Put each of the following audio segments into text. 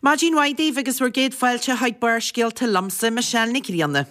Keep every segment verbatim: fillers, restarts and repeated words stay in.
Maidin mhaith daoibh agus bhur gcéad fáilte chuig Barrscéalta liomsa, Michelle Nic Grianna.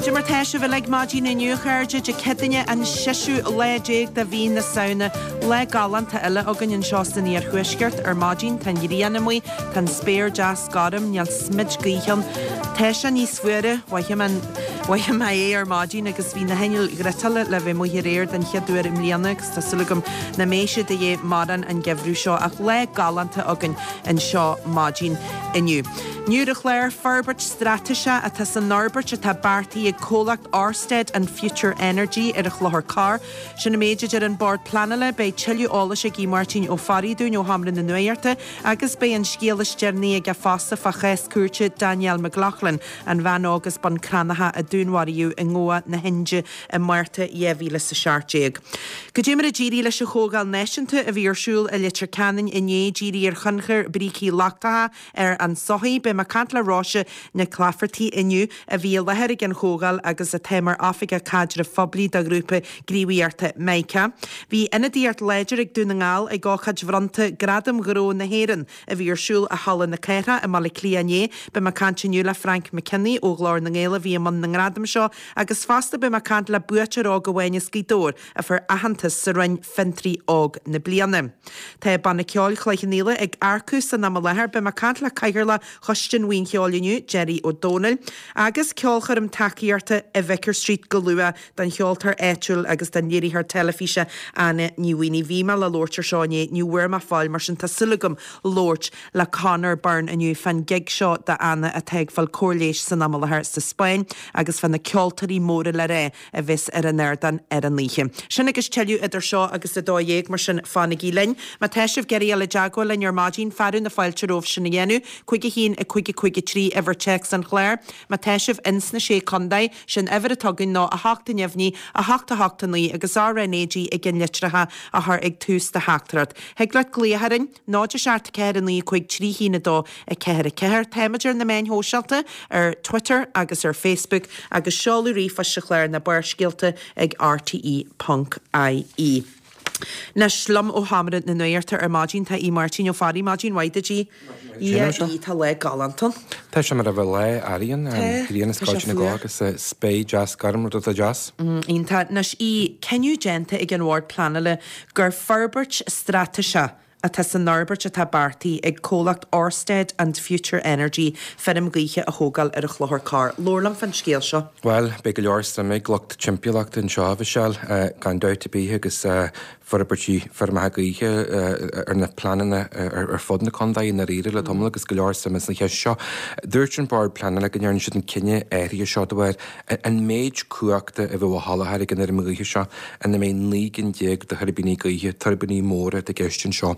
Cad é mar tá sibh uilig maidin inniu, a chairde, Dé Céadaoine an seisiú lá déag de mhí na Samhna. Lá galánta eile againn anseo san iarthuaisceart ar maidin. Tá an ghrian amuigh, tá an spéir deas gorm, níl smid gaoithe ann. Tá sé níos fuaire, mhothaigh mé mhothaigh mé é ar maidin agus bhí na hinnill fhriotála le bheith amuigh aréir den chéad uair i mbliana agus tá súil agam nach mbeidh siad de dhíth mórán an geimhreadh seo ach lá galánta againn anseo maidin inniu. Inniu ar an chlár, forbairt straitéiseach atá san fhorbairt atá beartaithe ag comhlacht Orsted and Future Energy ar an Chlochar Corr. Sin an méid a deir an Bord Pleanála, beidh tuilleadh eolais ag Aodh Máirtín Ó Fearraigh dúinn ó Sheomra na Nuachta agus beidh an scéal is deireanaí aige fosta fá chás cúirte Danielle McLaughlin, an bhean óg as Bun Cranncha a dúnmharaíodh i nGoa na hIndia i Márta dhá mhíle is a seacht déag. Cad é mar a d'éirigh leis an Chomhdháil Náisiúnta a bhí ar siúl i Leitir Ceanainn inné díriú ar thionchar brící lochtacha ar an tsochaí. Beidh mé ag caint le Róise Nic Laifeartaigh inniu a bhí i láthair ag an chomhdháil agus atá mar Oifigeach Caidrimh Phoiblí do ghrúpa gníomhaíochta Mica. Bhí ionadaíocht láidir ag Dún na nGall ag ócáid bhronnta Gradam Ghnó na hÉireann a bhí ar siúl i Halla na Cathrach i mBaile Átha Cliath inné. Beidh mé ag caint inniu le Frank McKinney ó Ghlór na nGael a bhí i mbun na ngradam seo agus fosta beidh mé ag caint le buaiteoir óg amháin as Gaoth Dobhair a fuair aitheantas sa roinn Fiontraí Óg na Bliana. Tá Banna Ceoil Chloich Cheann Fhaola ag earcú san am i láthair. Beidh mé ag caint le Cathaoirleach Choiste an Bhuíon Cheoil inniu, Gerry Ó Dónaill, agus ceolchoirm tacaíochta i Vicar Street go luath don cheoltóir áitiúil agus don léiritheoir teilifíse Anna Ní Mhaonaigh. Bhí mé le labhairt ar seo inné, ní bhfuair mé fáil, mar sin tá súil agam labhairt le Conor Byrne inniu fán gig seo d'Anna atá ag fáil cóir leighis san am i láthair sa Spáinn agus fá na ceoltóirí móra le rá a bheas ar an ardán ar an oíche. Sin agus tuilleadh idir seo agus a dó dhéag, mar sin fanaigí linn. Má tá sibh ag iarraidh dul i dteagmháil linn ar maidin, fearadh na fáilte romhaibh sin a dhéanamh, cúig a haon, a cúig a cúig a trí, uimhir téacs an chláir. Má tá sibh ins na Sé Contae, sin uimhir atá againn ná a hocht a neamhní, a hocht a hocht a naoi agus R N A G i gceannlitreacha a chur ag tús do theachtaireacht. Thig leat glaoch orainn, náid a seacht ceathair a naoi cúig trí haon a dó a ceathair a ceathair. Táimid ar na meáin shóisialta, ar Twitter agus ar Facebook agus seoladh ríomhphoist an chláir ná Barrscéalta ag rte ponc ie. Anois liom ó Sheomra na Nuachta ar maidin tá Aodh Máirtín Ó Fearraigh. Maidin mhaith duit a Aoidh. A Aoidh, tá lá galánta ann. Tá sé mar a bheadh lá earraigh ann, Tá, grian is tá sé scoilt na fuar. gcloch agus spéir deas gorm, rud atá deas. Iontach. Anois a Aoidh, cinneadh déanta ag an Bhord Pleanála gur forbairt straitéiseach atá san fhorbairt atá beartaithe ag comhlacht Orsted and Future Energy feirm ghaoithe a thógáil ar an Chlochar Corr. Labhair liom fán scéal seo. Bhuel, beidh go leor suime ag lucht timpeallachta anseo, a Mhichelle, gan dabht ar bith, agus forbairtí feirmeacha gaoithe ar na pleananna ar fud na contae i ndáiríre le tamall agus go leor suime sa cheist seo. Dúirt an Bord Pleanála go ndearna siad an cinneadh áirithe seo de bharr an méid cumhachta a bheadh á sholáthar ag an fheirm ghaoithe seo ina mbeidh naoi gcinn déag de thuirbíní gaoithe, tuirbíní móra atá i gceist anseo.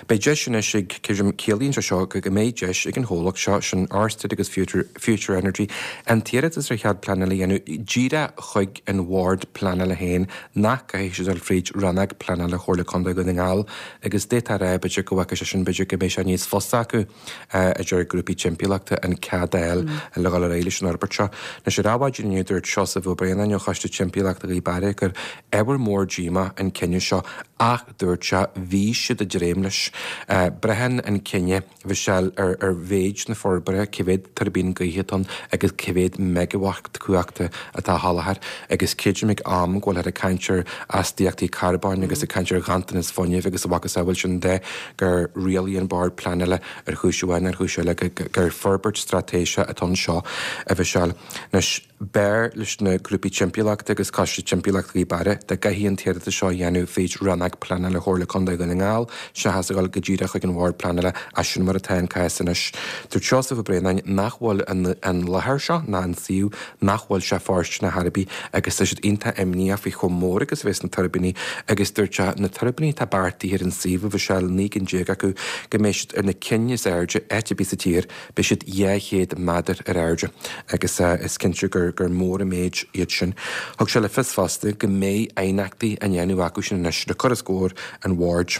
Beidh deis anois ag, ciallaíonn sé seo go mbeidh deis ag an chomhlacht seo, sin Orsted agus Future Energy, an t-iarratas ar chead pleanála a dhéanamh díreach chuig an Bhord Pleanála féin nach gcaithfidh siad dul fríd Rannóg Pleanála Chomhairle Contae Dhún na nGall agus d'fhéadfá a rá b'fhéidir go bhfaca sé sin b'fhéidir go mbeidh sé níos fusa acu a deir grúpaí timpeallachta an cead a fháil le dhul ar aghaidh leis an fhorbairt seo. Anois ar Adhmhaidin inniu dúirt Seosamh Ó Braonáin ó Choiste Timpeallachta Ghaoth Beara gur ábhar mór díomá an cinneadh seo ach dúirt sé bhí siad ag dréim leis. Braitheann an cinneadh, a Mhichelle, ar ar mhéid na forbartha, cé mhéad tuirbín gaoithe atá ann agus cé mhéad meigeawatt cumhachta atá á sholáthar agus creidim ag am go bhfuilthear ag caint ar astaíochtaí carbóin agus ag caint ar ghanntanas fuinnimh agus a mhacasamhail sin de gur rialaigh an Bord Pleanála ar chúis amháin ar chúis eile gur forbairt straitéiseach atá anseo, a Mhichelle. Anois, b'fhearr leis na grúpaí timpeallachta agus Coiste Timpeallachta Ghaoth Beara dá gcaithfí an t-iarratas seo a dhéanamh fríd Rannóg Pleanála Chomhairle Contae Dhún na nGall seachas a dhul go díreach chuig an Bhord Pleanála, ach sin mar atá an cás anois. Dúirt Seosamh Ó Braonáin nach bhfuil an an láthair seo ná an suíomh nach bhfuil sé fóirsteanach ar chor ar bith agus tá siad iontach imníoch faoi chomh mór agus a bheas na tuirbíní agus dúirt sé na tuirbíní atá beartaithe ar an suíomh a Mhichelle, naoi gcinn déag acu, go mbeidh siad ar na cinn is airde áit ar bith sa tír, beidh siad dhá chéad méadar ar airde agus is cinnte gur gur mór an méid iad sin. Thug sé le fios fosta go mbeidh aighneachtaí á ndéanamh acu sin anois le cur os comhair an bhoird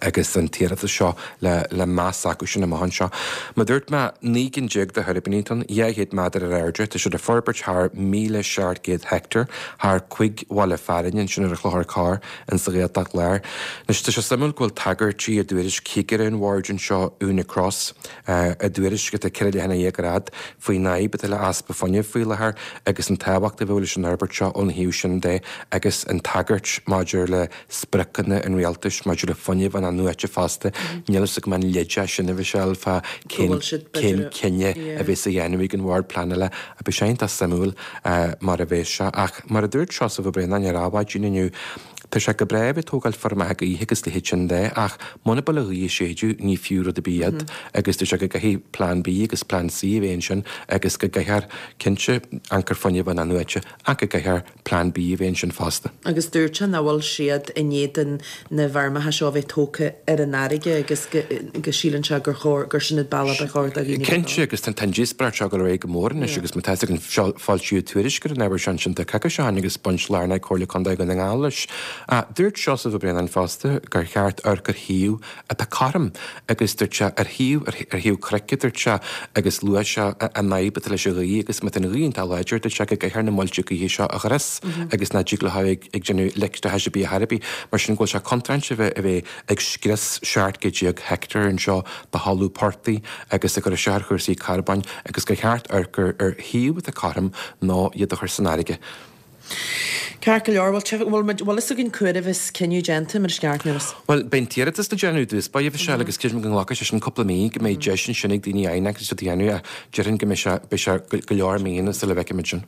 agus an t-iarratas seo le le meas acu sin amach anseo. Mar dúirt mé, naoi gcinn déag de thuirbíní atá ann, dhá chéad méadar ar airde, tá siad ag forbairt thar míle seacht gcéad heicteár, thar cúig bhaile fearainn ansin ar an Chlochar Corr in sa Ghaeltacht Láir. Anois tá sé suimiúil go bhfuil tagairtí i dtuairisc chigire an bhoird anseo, Úna Cross, i dtuairisc atá ceithre leathanach dhéag ar fhad faoin fhadhb atá le easpa fuinnimh faoi láthair agus an tábhacht a bheadh leis an fhorbairt seo ón thaobh sin de agus an tagairt maidir le spriocanna an rialtais maidir le fuinneamh in-athnuaite fosta. Níl a fhios agam an leid é sin a Mhichelle fá cén cén cinneadh a bheas á dhéanamh ag an Bhord Pleanála ach beidh sé iontach suimiúil mar a bheas sé. Ach mar a dúirt Seosamh Ó Braonáin ar Adhmhaidin inniu, Tá sé go breá a bheith ag tógáil feirmeacha gaoithe agus a leithéid sin de, ach muna bhfuil an ghaoth ag séideadh, ní fiú rud ar bith iad, agus tá sé go gcaithfidh Plean B agus Plean C a bheith ansin agus go gcaithfear, cinnte, ionchur fuinnimh in-athnuaite, ach go gcaithfear Plean B a bheith ansin fosta. Agus dúirt sé nach bhfuil siad in éadan na bhfeirmeacha seo a bheith tógtha ar an fharraige agus go go síleann sé gur chóir, gur sin an bealach ba chóir do dhaoine a bheith Cinnte, agus tá an díospóireacht seo ag dul ar aghaidh go mór anois agus má tá a fhios againn, foilsíodh tuairisc ar an ábhar seo ansin tá coicís ó shin agus baint lárnach ag Comhairle Contae Dhún na nGall leis. Dúirt Seosamh Ó Braonáin fosta gur cheart amharc ar shuíomh atá cothrom agus dúirt sé ar shuíomh, ar thaobh cnoic a dúirt sé agus luaigh sé an fhadhb atá leis an ghaoth agus má tá an ghaoth iontach láidir dúirt sé go gcaithfear na muilte gaoithe seo a dhris agus nach dtig leo a bheith ag déanamh leictreachais ar bith ar chor ar bith. Mar sin go bhfuil sé contráilte a bheith a bheith ag scrios seacht gcéad déag heicteár anseo de thalamh portaigh agus ag cur isteach ar chúrsaí carbóin agus gur cheart amharc ar ar shuíomh atá cothrom nó iad a chur san fharraige. Ceart go leor, bhuel, bhfuil muid, bhfuil fhios againn cá huair a bheas cinneadh déanta, mar is ceart, níl fhios. Bhuel, beidh an t-iarratas le déanamh i dtús báire, a Mhichelle, agus creidim go nglacfaidh sé sin cúpla mí, go mbeidh deis ansin ag daoine aighneacht a dhéanamh ach déarfainn go mbeidh sé, beidh sé go leor míonna sula bhfeicfimid sin.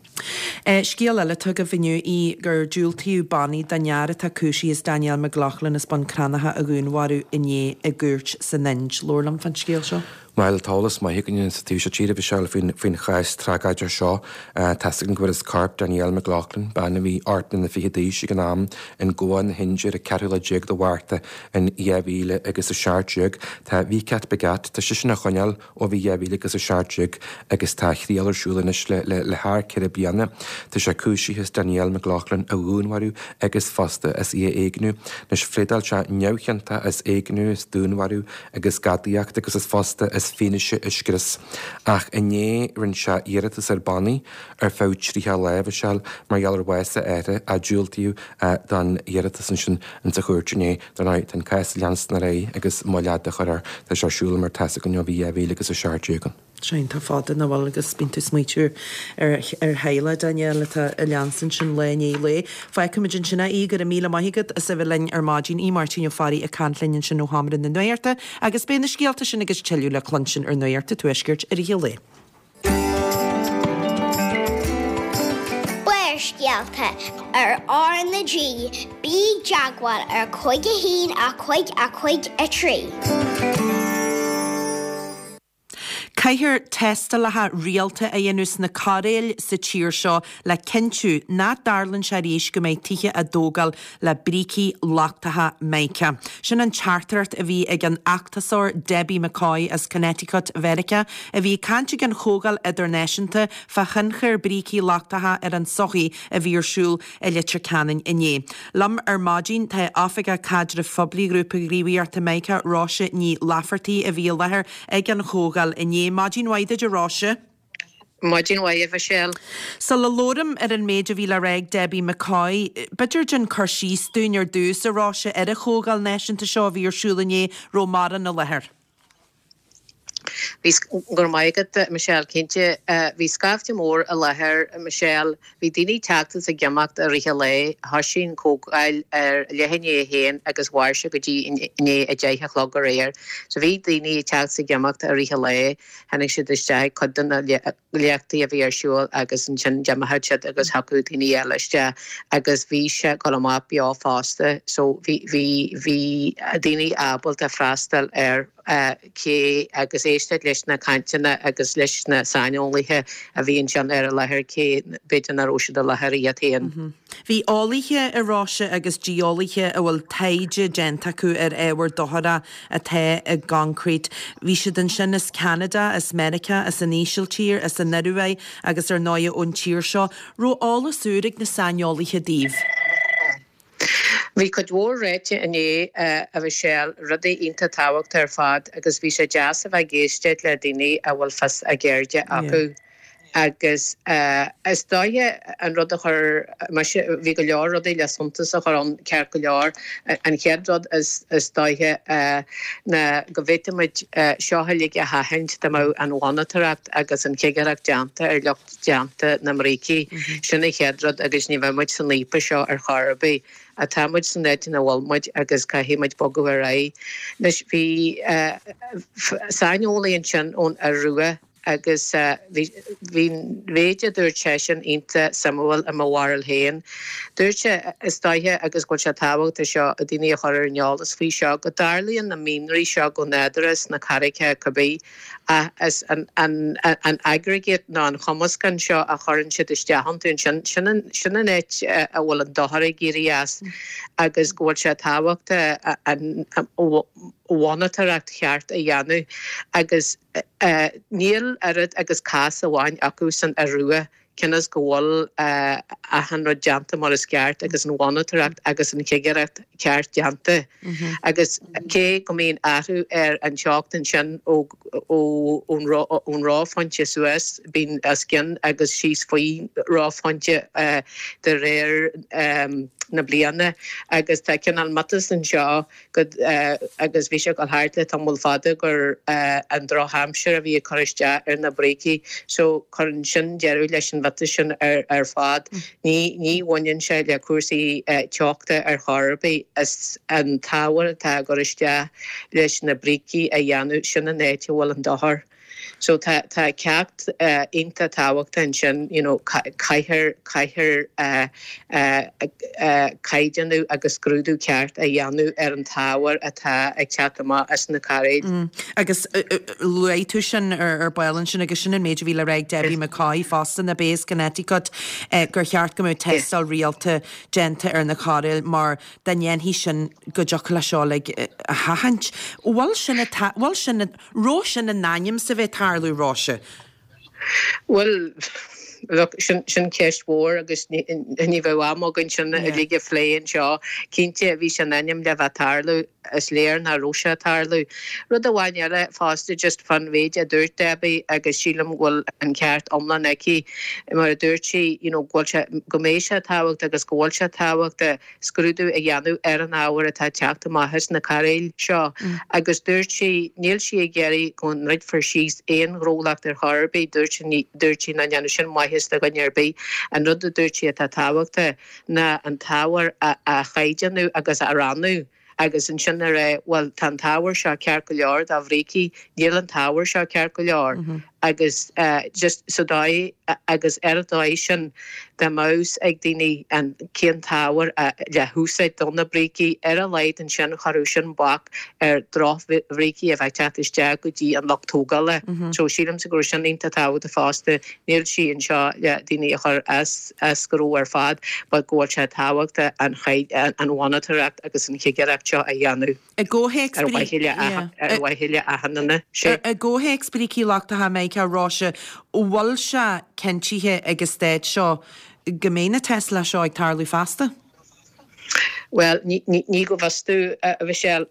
Scéal eile atá agaibh inniu í gur diúltaíodh bannaí don fhear atá cúisithe as Danielle McLaughlin as Bun Cranncha a dhúnmharú inné i gcúirt san Ind. Labhair liom fán scéal seo. Bhuel, tá eolas maith againne sa taobh seo tíre, a Mhichelle, faoin, faoin chás tragóideach seo. Tá 'fhios againn go bhfuarthas corp Danielle McLaughlin, bean a bhí ocht mbliana fichead d'aois ag an am, in Goa na hIndia ar an ceathrú lá déag de Mhárta in dhá mhíle agus a seacht déag. Tá Vikas Bhagat, tá seisean á choinneáil ó bhí dhá mhíle agus a seacht déag agus tá a thriail ar siúl anois le, le, le thar ceithre bliana. Tá sé cúisithe as Danielle McLaughlin a dhúnmharú agus fosta as í a éigniú. Anois, phléadáil sé neamhchiontach as éigniú, as dúnmharú agus gadaíocht agus as fosta as fianaise a scrios. Ach inné rinne sé iarratas ar bannaí ar feadh tríocha lá, a Mhichelle, mar gheall ar bhás a athara ach diúltaíodh don iarratas ansin insa chúirt inné. Dar ndóigh, tá an cás ag leanstan ar aghaidh agus moill fhada á chur air. Tá sé ar siúl mar tá 'fhios againn ó bhí dhá mhíle agus a seacht déag ann. Sé iontach fada nach bhfuil agus bíonn tú ag smaoitiú ar ar theaghlach Danielle atá ag leanstan sin lá i ndiaidh lae. Fágfaimid ansin é, Aodh, go raibh míle maith agat as a bheith linn ar maidin. Aodh Máirtín Ó Fearraigh ag caint linn ansin ó Sheomra na Nuachta agus beidh na scéalta sin agus tuilleadh le cluinstin ar Nuacht an Tuaiscirt i rith an lae. Barrscéalta ar R na G, bí i dteagmháil ar cúig a haon a cúig a cúig a trí. Caithfear tástálacha rialta a dhéanamh sna cairéil sa tír seo le cinntiú nach dtarlaíonn sé arís go mbeidh tithe á dtógáil le brící lochtacha mica. Sin an teachtaireacht a bhí ag an fheachtasóir Debbie McCoy as Connecticut, Mheiriceá, a bhí ag caint ag an chomhdháil idirnáisiúnta fá thionchar brící lochtacha ar an tsochaí a bhí ar siúl i Leitir Ceanainn inné. Liom ar maidin tá Oifigeach Caidrimh Phoiblí Ghrúpa Gníomhaíochta Mica, Róise Ní Laifeartaigh, a bhí i láthair ag an chomhdháil inné. Maidin mhaith duit a Róise. Maidin mhaith a Mhichelle. Sula labhraím ar an méid a bhí le rá ag Debbie McCoy, b'fhéidir déan cur síos dúinn ar dtús, a Róise, ar an chomhdháil náisiúnta seo a bhí ar siúl inné, raibh mórán i láthair. Bhí go raibh maith agat Michelle cinnte bhí scaifte mór i láthair Michelle, bhí daoine ag teacht is ag imeacht i rith an lae, thosaigh an chomhdháil ar leath i ndiaidh a haon agus mhair sé go dtí i ndiaidh a deich a chlog aréir. So bhí daoine ag teacht is ag imeacht i rith an lae, tháinig siad isteach ag cuid de na léachtaí a bhí ar siúl agus ansin d'imigh siad agus thiocfadh daoine eile isteach agus bhí sé ag dul amach beo fosta so bhí bhí bhí daoine ábalta freastal ar cé agus éisteacht leis na cainteanna agus leis na saineolaithe a bhí ansin ar an láthair cé b'fhéidir nach raibh siad i láthair iad féin. Bhí eolaithe a Róise agus geolaithe a bhfuil taighde déanta acu ar ábhar dochrach atá i gconcrete. Bhí siad ansin as Ceanada, as Meiriceá, as an Ísiltír, as an Ioruaidh agus ar ndóigh ón tír seo. Raibh eolas úr ag na saineolaithe daoibh. Bhí cuid mhór ráite inné a Mhichelle, rudaí iontach tábhachtach ar fad agus bhí sé deas a bheith ag éisteacht le daoine a bhfuil fios a gceirde acu. Agus is dóiche an rud a chuir mise, bhí go leor rudaí le suntas a chur ann ceart go leor. An chéad rud is is dóiche ná go bhféadfaimid seo uilig a sheachaint dá mbeadh an mhonatóireacht agus an chigireacht déanta ar lucht déanta na mbrící. Sin an chéad rud agus ní bheadh muid san fhaopa seo ar chor ar bith. Tá muid san áit ina bhfuil muid agus caithfidh muid bogadh ar aghaidh. Anois bhí saineolaí ansin ón Iorua agus bhí an méid a dúirt seisean iontach suimiúil i mo bharúil féin. Dúirt sé is dóiche agus go bhfuil sé tábhachtach seo daoine a chur ar an eolas faoi seo go dtarlaíonn na mianraí seo go nádúrtha sna carraigeacha cibé ach is an, an, an aggregate nó an chumascán seo a chuireann siad isteach iontu ansin sin an, sin an áit a bhfuil an dochar ag éirí as agus go bhfuil sé tábhachtach an mhonatóireacht cheart a dhéanamh agus níl oiread agus cás amháin acu san Iorua cionn is go bhfuil achan rud déanta mar is ceart agus an mhonatóireacht agus an chigireacht ceart déanta. Agus cé go mbíonn athrú ar an teocht ansin ó ón reophointe suas, bíonn os cionn agus síos faoi reophointe de réir na bliana agus tá cineál miotas anseo go agus bhí sé ag dul thart le tamall fada gur an drochaimsir a bhí ag cur isteach ar na brící so cuireann sin deireadh leis an mhiotas sin ar ar fad. Ní ní bhaineann sé le cúrsaí teochta ar chor ar bith is an t-ábhar atá ag cur isteach leis na brící a dhéanamh sin an áit a bhfuil an dochar. So tá tá ceacht uh, iontach tábhachtach ansin you know, caithfear caithfear uh, uh, uh, caighdeánú agus scrúdú ceart a dhéanamh ar an t-ábhar atá ag teacht amach as na cairéid. Mm. Agus luaigh tú sin ar ar ball ansin agus sin an méid a bhí le rá ag Debbie McCoy fosta na Bays Connecticut eh, gur cheart go mbeadh tástáil rialta déanta ar na cairéil mar dá ndéanfaí sin go dtiocfadh le seo le a sheachaint. Bhfuil sin bhfuil sin raibh sin in ainm is a bheith ag tarlú Róise. Well, look, sin sin ceist mhór agus ní bheadh am againn sin uilig a phlé anseo. Cinnte bhí sin in ainm le bheith ag tarlú is léir nach raibh sé ag tarlú. Rud amháin eile fosta just fan mhéid a dúirt Debbie agus sílim bhfuil an ceart iomlán aici mar a dúirt sí you know, go bhfuil sé go mbeidh sé tábhachtach agus go bhfuil sé tábhachtach scrúdú a dhéanamh ar an ábhar atá teacht amach as na cairéil seo. Mm. Agus dúirt sí níl sí ag iarraidh go ndruidfear síos aon ghnólacht ar chor ar bith dúirt dúirt sí nach ndéanann sin maitheas do dhuine ar bith. An rud a dúirt sí atá tábhachtach ná an t-ábhar a, a chaighdeánú agus a rannú. agus ansin a rá well tá an t-ábhar seo ceart go leor do bhrící níl an t-ábhar seo ceart go leor mm -hmm. agus uh, just so dóigh agus ar an dóigh sin dá mbeadh a fhios ag daoine an cén t-ábhar le húsáid do na brící ar a laghad ansin chuirfeadh sin bac ar dhrochbhrící a bheith teacht isteach go dtí an lucht tógála. Mm -hmm. So sílimse go sin iontach tábhachtach fosta níl sí anseo le daoine a chur as as gnó ar fad, but go bhfuil sé tábhachtach an an mhonatóireacht agus an chigireacht seo a dhéanamh. I gcomhthéacs ar mhaithe le achan duine. I gcomhthéacs brící lochtacha Meiriceá Róise, bhfuil sé cinntithe ag an stát seo go mbeidh na tástálacha seo ag tarlú feasta? Well, ní go bhfios domh a Mhichelle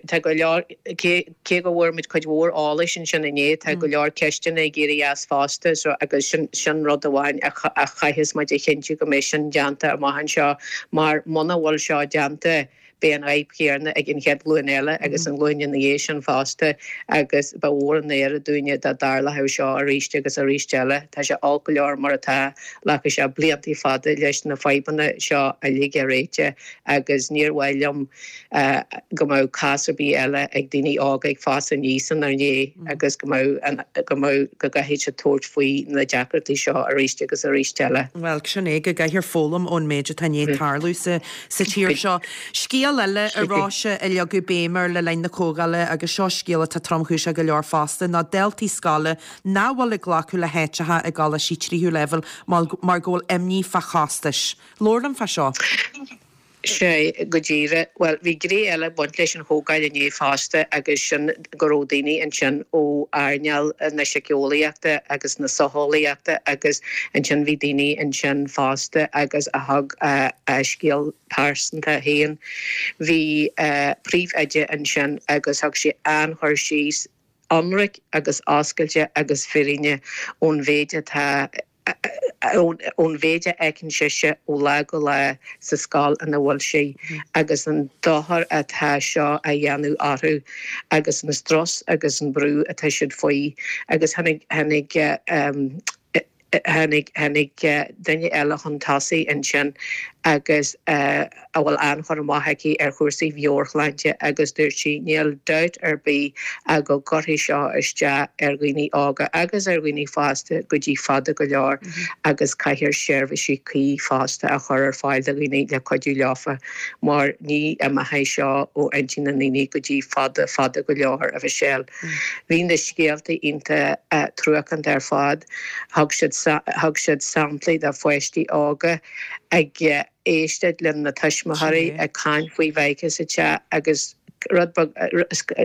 tá go leor cé go bhfuair muid cuid mhór eolais ansin inné tá go leor ceisteanna ag éirí as fosta so agus sin sin rud amháin a chaithfeas muid a chinntiú go mbeidh sin déanta amach anseo mar muna bhfuil seo déanta Beidh an fhadhb chéanna ag an chéad ghlúin eile agus an ghlúin ina dhiaidh sin fosta agus ba mhór an náire dúinne dá dtarlódh seo arís agus arís eile. Tá sé olc go leor mar atá, ghlacfaidh sé blianta fada leis na fadhbanna seo uilig a réiteach agus níor mhaith liom go mbeadh cás ar bith eile ag daoine óga ag fás aníos inár ndiaidh agus go mbeadh go mbeadh go gcaithfidh siad tabhairt faoi na deacrachtaí seo arís agus arís eile. Bhuel, sin é, go gcaithfear foghlaim ón méid atá i ndiaidh tarlú sa sa tír seo. Scéal eile, a Róise, a leagadh béim air le linn na comhdhála, agus seo scéal atá tromchúiseach go leor fosta, ná daltaí scoile nach bhfuil ag glacadh le háiteacha i gcoláistí tríú leibhéal mar go bhfuil imní fá chostais. Labhair liom fá seo. Sea, go díreach. Bhuel, bhí gné eile ag baint leis an chomhdháil inné fosta agus sin go raibh daoine ansin ó earnáil na síceolaíochta agus na socheolaíochta agus ansin bhí daoine ansin fosta agus a thug a scéal pearsanta féin. Bhí príomhoide ansin agus thug sé an-chur síos ionraic agus oscailte agus fírinne ón mhéid atá ón mhéid a fheiceann sise ó lá go lá sa scoil ina bhfuil sí agus an dochar atá seo a dhéanamh orthu agus an strus agus an brú atá siad faoi agus tháinig tháinig tháinig tháinig duine eile chun tosaigh ansin agus a bhfuil an-chur amach aici ar chúrsaí meabhairshláinte agus dúirt sí níl dabht ar bith ach go gcuirfidh seo isteach ar dhaoine óga agus ar dhaoine fásta go dtí fada go leor agus caithfear seirbhísí cuí fosta a chur ar fáil do dhaoine le cuidiú leofa mar ní imeoidh seo ó intinn na ndaoine go dtí fada fada go leor, a Mhichelle. Bhí na scéalta iontach truacánta ar fad. Thug siad thug siad samplaí de pháistí óga ag éisteacht lena tuismitheoirí ag caint faoi mhica sa teach agus rud beag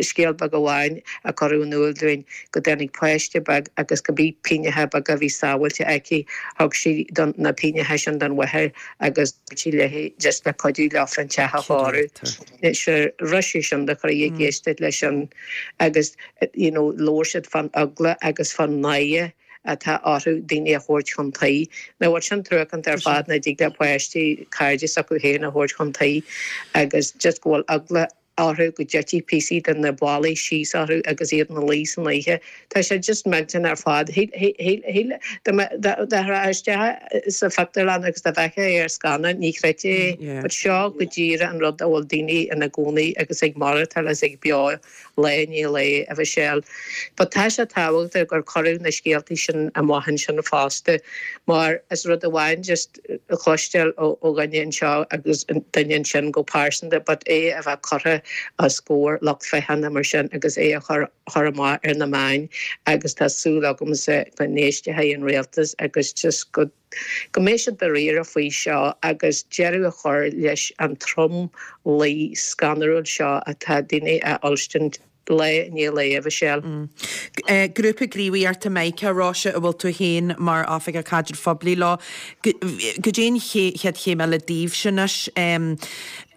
scéal beag amháin a cuireadh in iúl dúinn go dtáinig páiste beag agus cibé pingneacha beaga a bhí sábháilte aici thug sí don na pingneacha sin don mháthair agus dúirt sí léi just le cuidiú leofa an teach a chóiriú. Sure rith sé sin do chroí ag éisteacht leis sin agus you know labhair siad fán eagla agus fán náire atá orthu daoine a thabhairt chun tí. Now bhfuil sin truacánta ar fad nach dtig le páistí cairde s'acu féin a thabhairt chun tí agus just go bhfuil eagla orthu go dtitfidh píosaí de na ballaí síos orthu agus iad ina luí san oíche. Tá sé just millteanach ar fad. Shíl dá rachfá isteach sa phictiúrlann agus dá bhfeicfeá é ar scannán ní chreidfeá é. But seo go díreach an rud a bhfuil daoine ina gcónaí agus ag maireachtáil is ag beo lá i ndiaidh lae, a Mhichelle. But tá sé tábhachtach gur cuireadh na scéaltaí sin amach ansin fosta mar is rud amháin just a chloisteáil ó dhuine anseo agus duine ansin go pearsanta but é a bheith curtha os comhair lucht féachana mar sin agus é a chur chur amach ar na meáin agus tá súil agamsa go n-éistfidh an rialtas agus just go go mbeidh siad dáiríre faoi seo agus deireadh a chur leis an tromluí scanrúil seo atá daoine a fhuilstint lá i ndiaidh lae, a Mhichelle. Grúpa Gníomhaíochta Mica, Róise, a bhfuil tú féin mar Oifigeach Caidrimh Phoiblí leo. Goidé an chéad chéim eile daoibhse anois?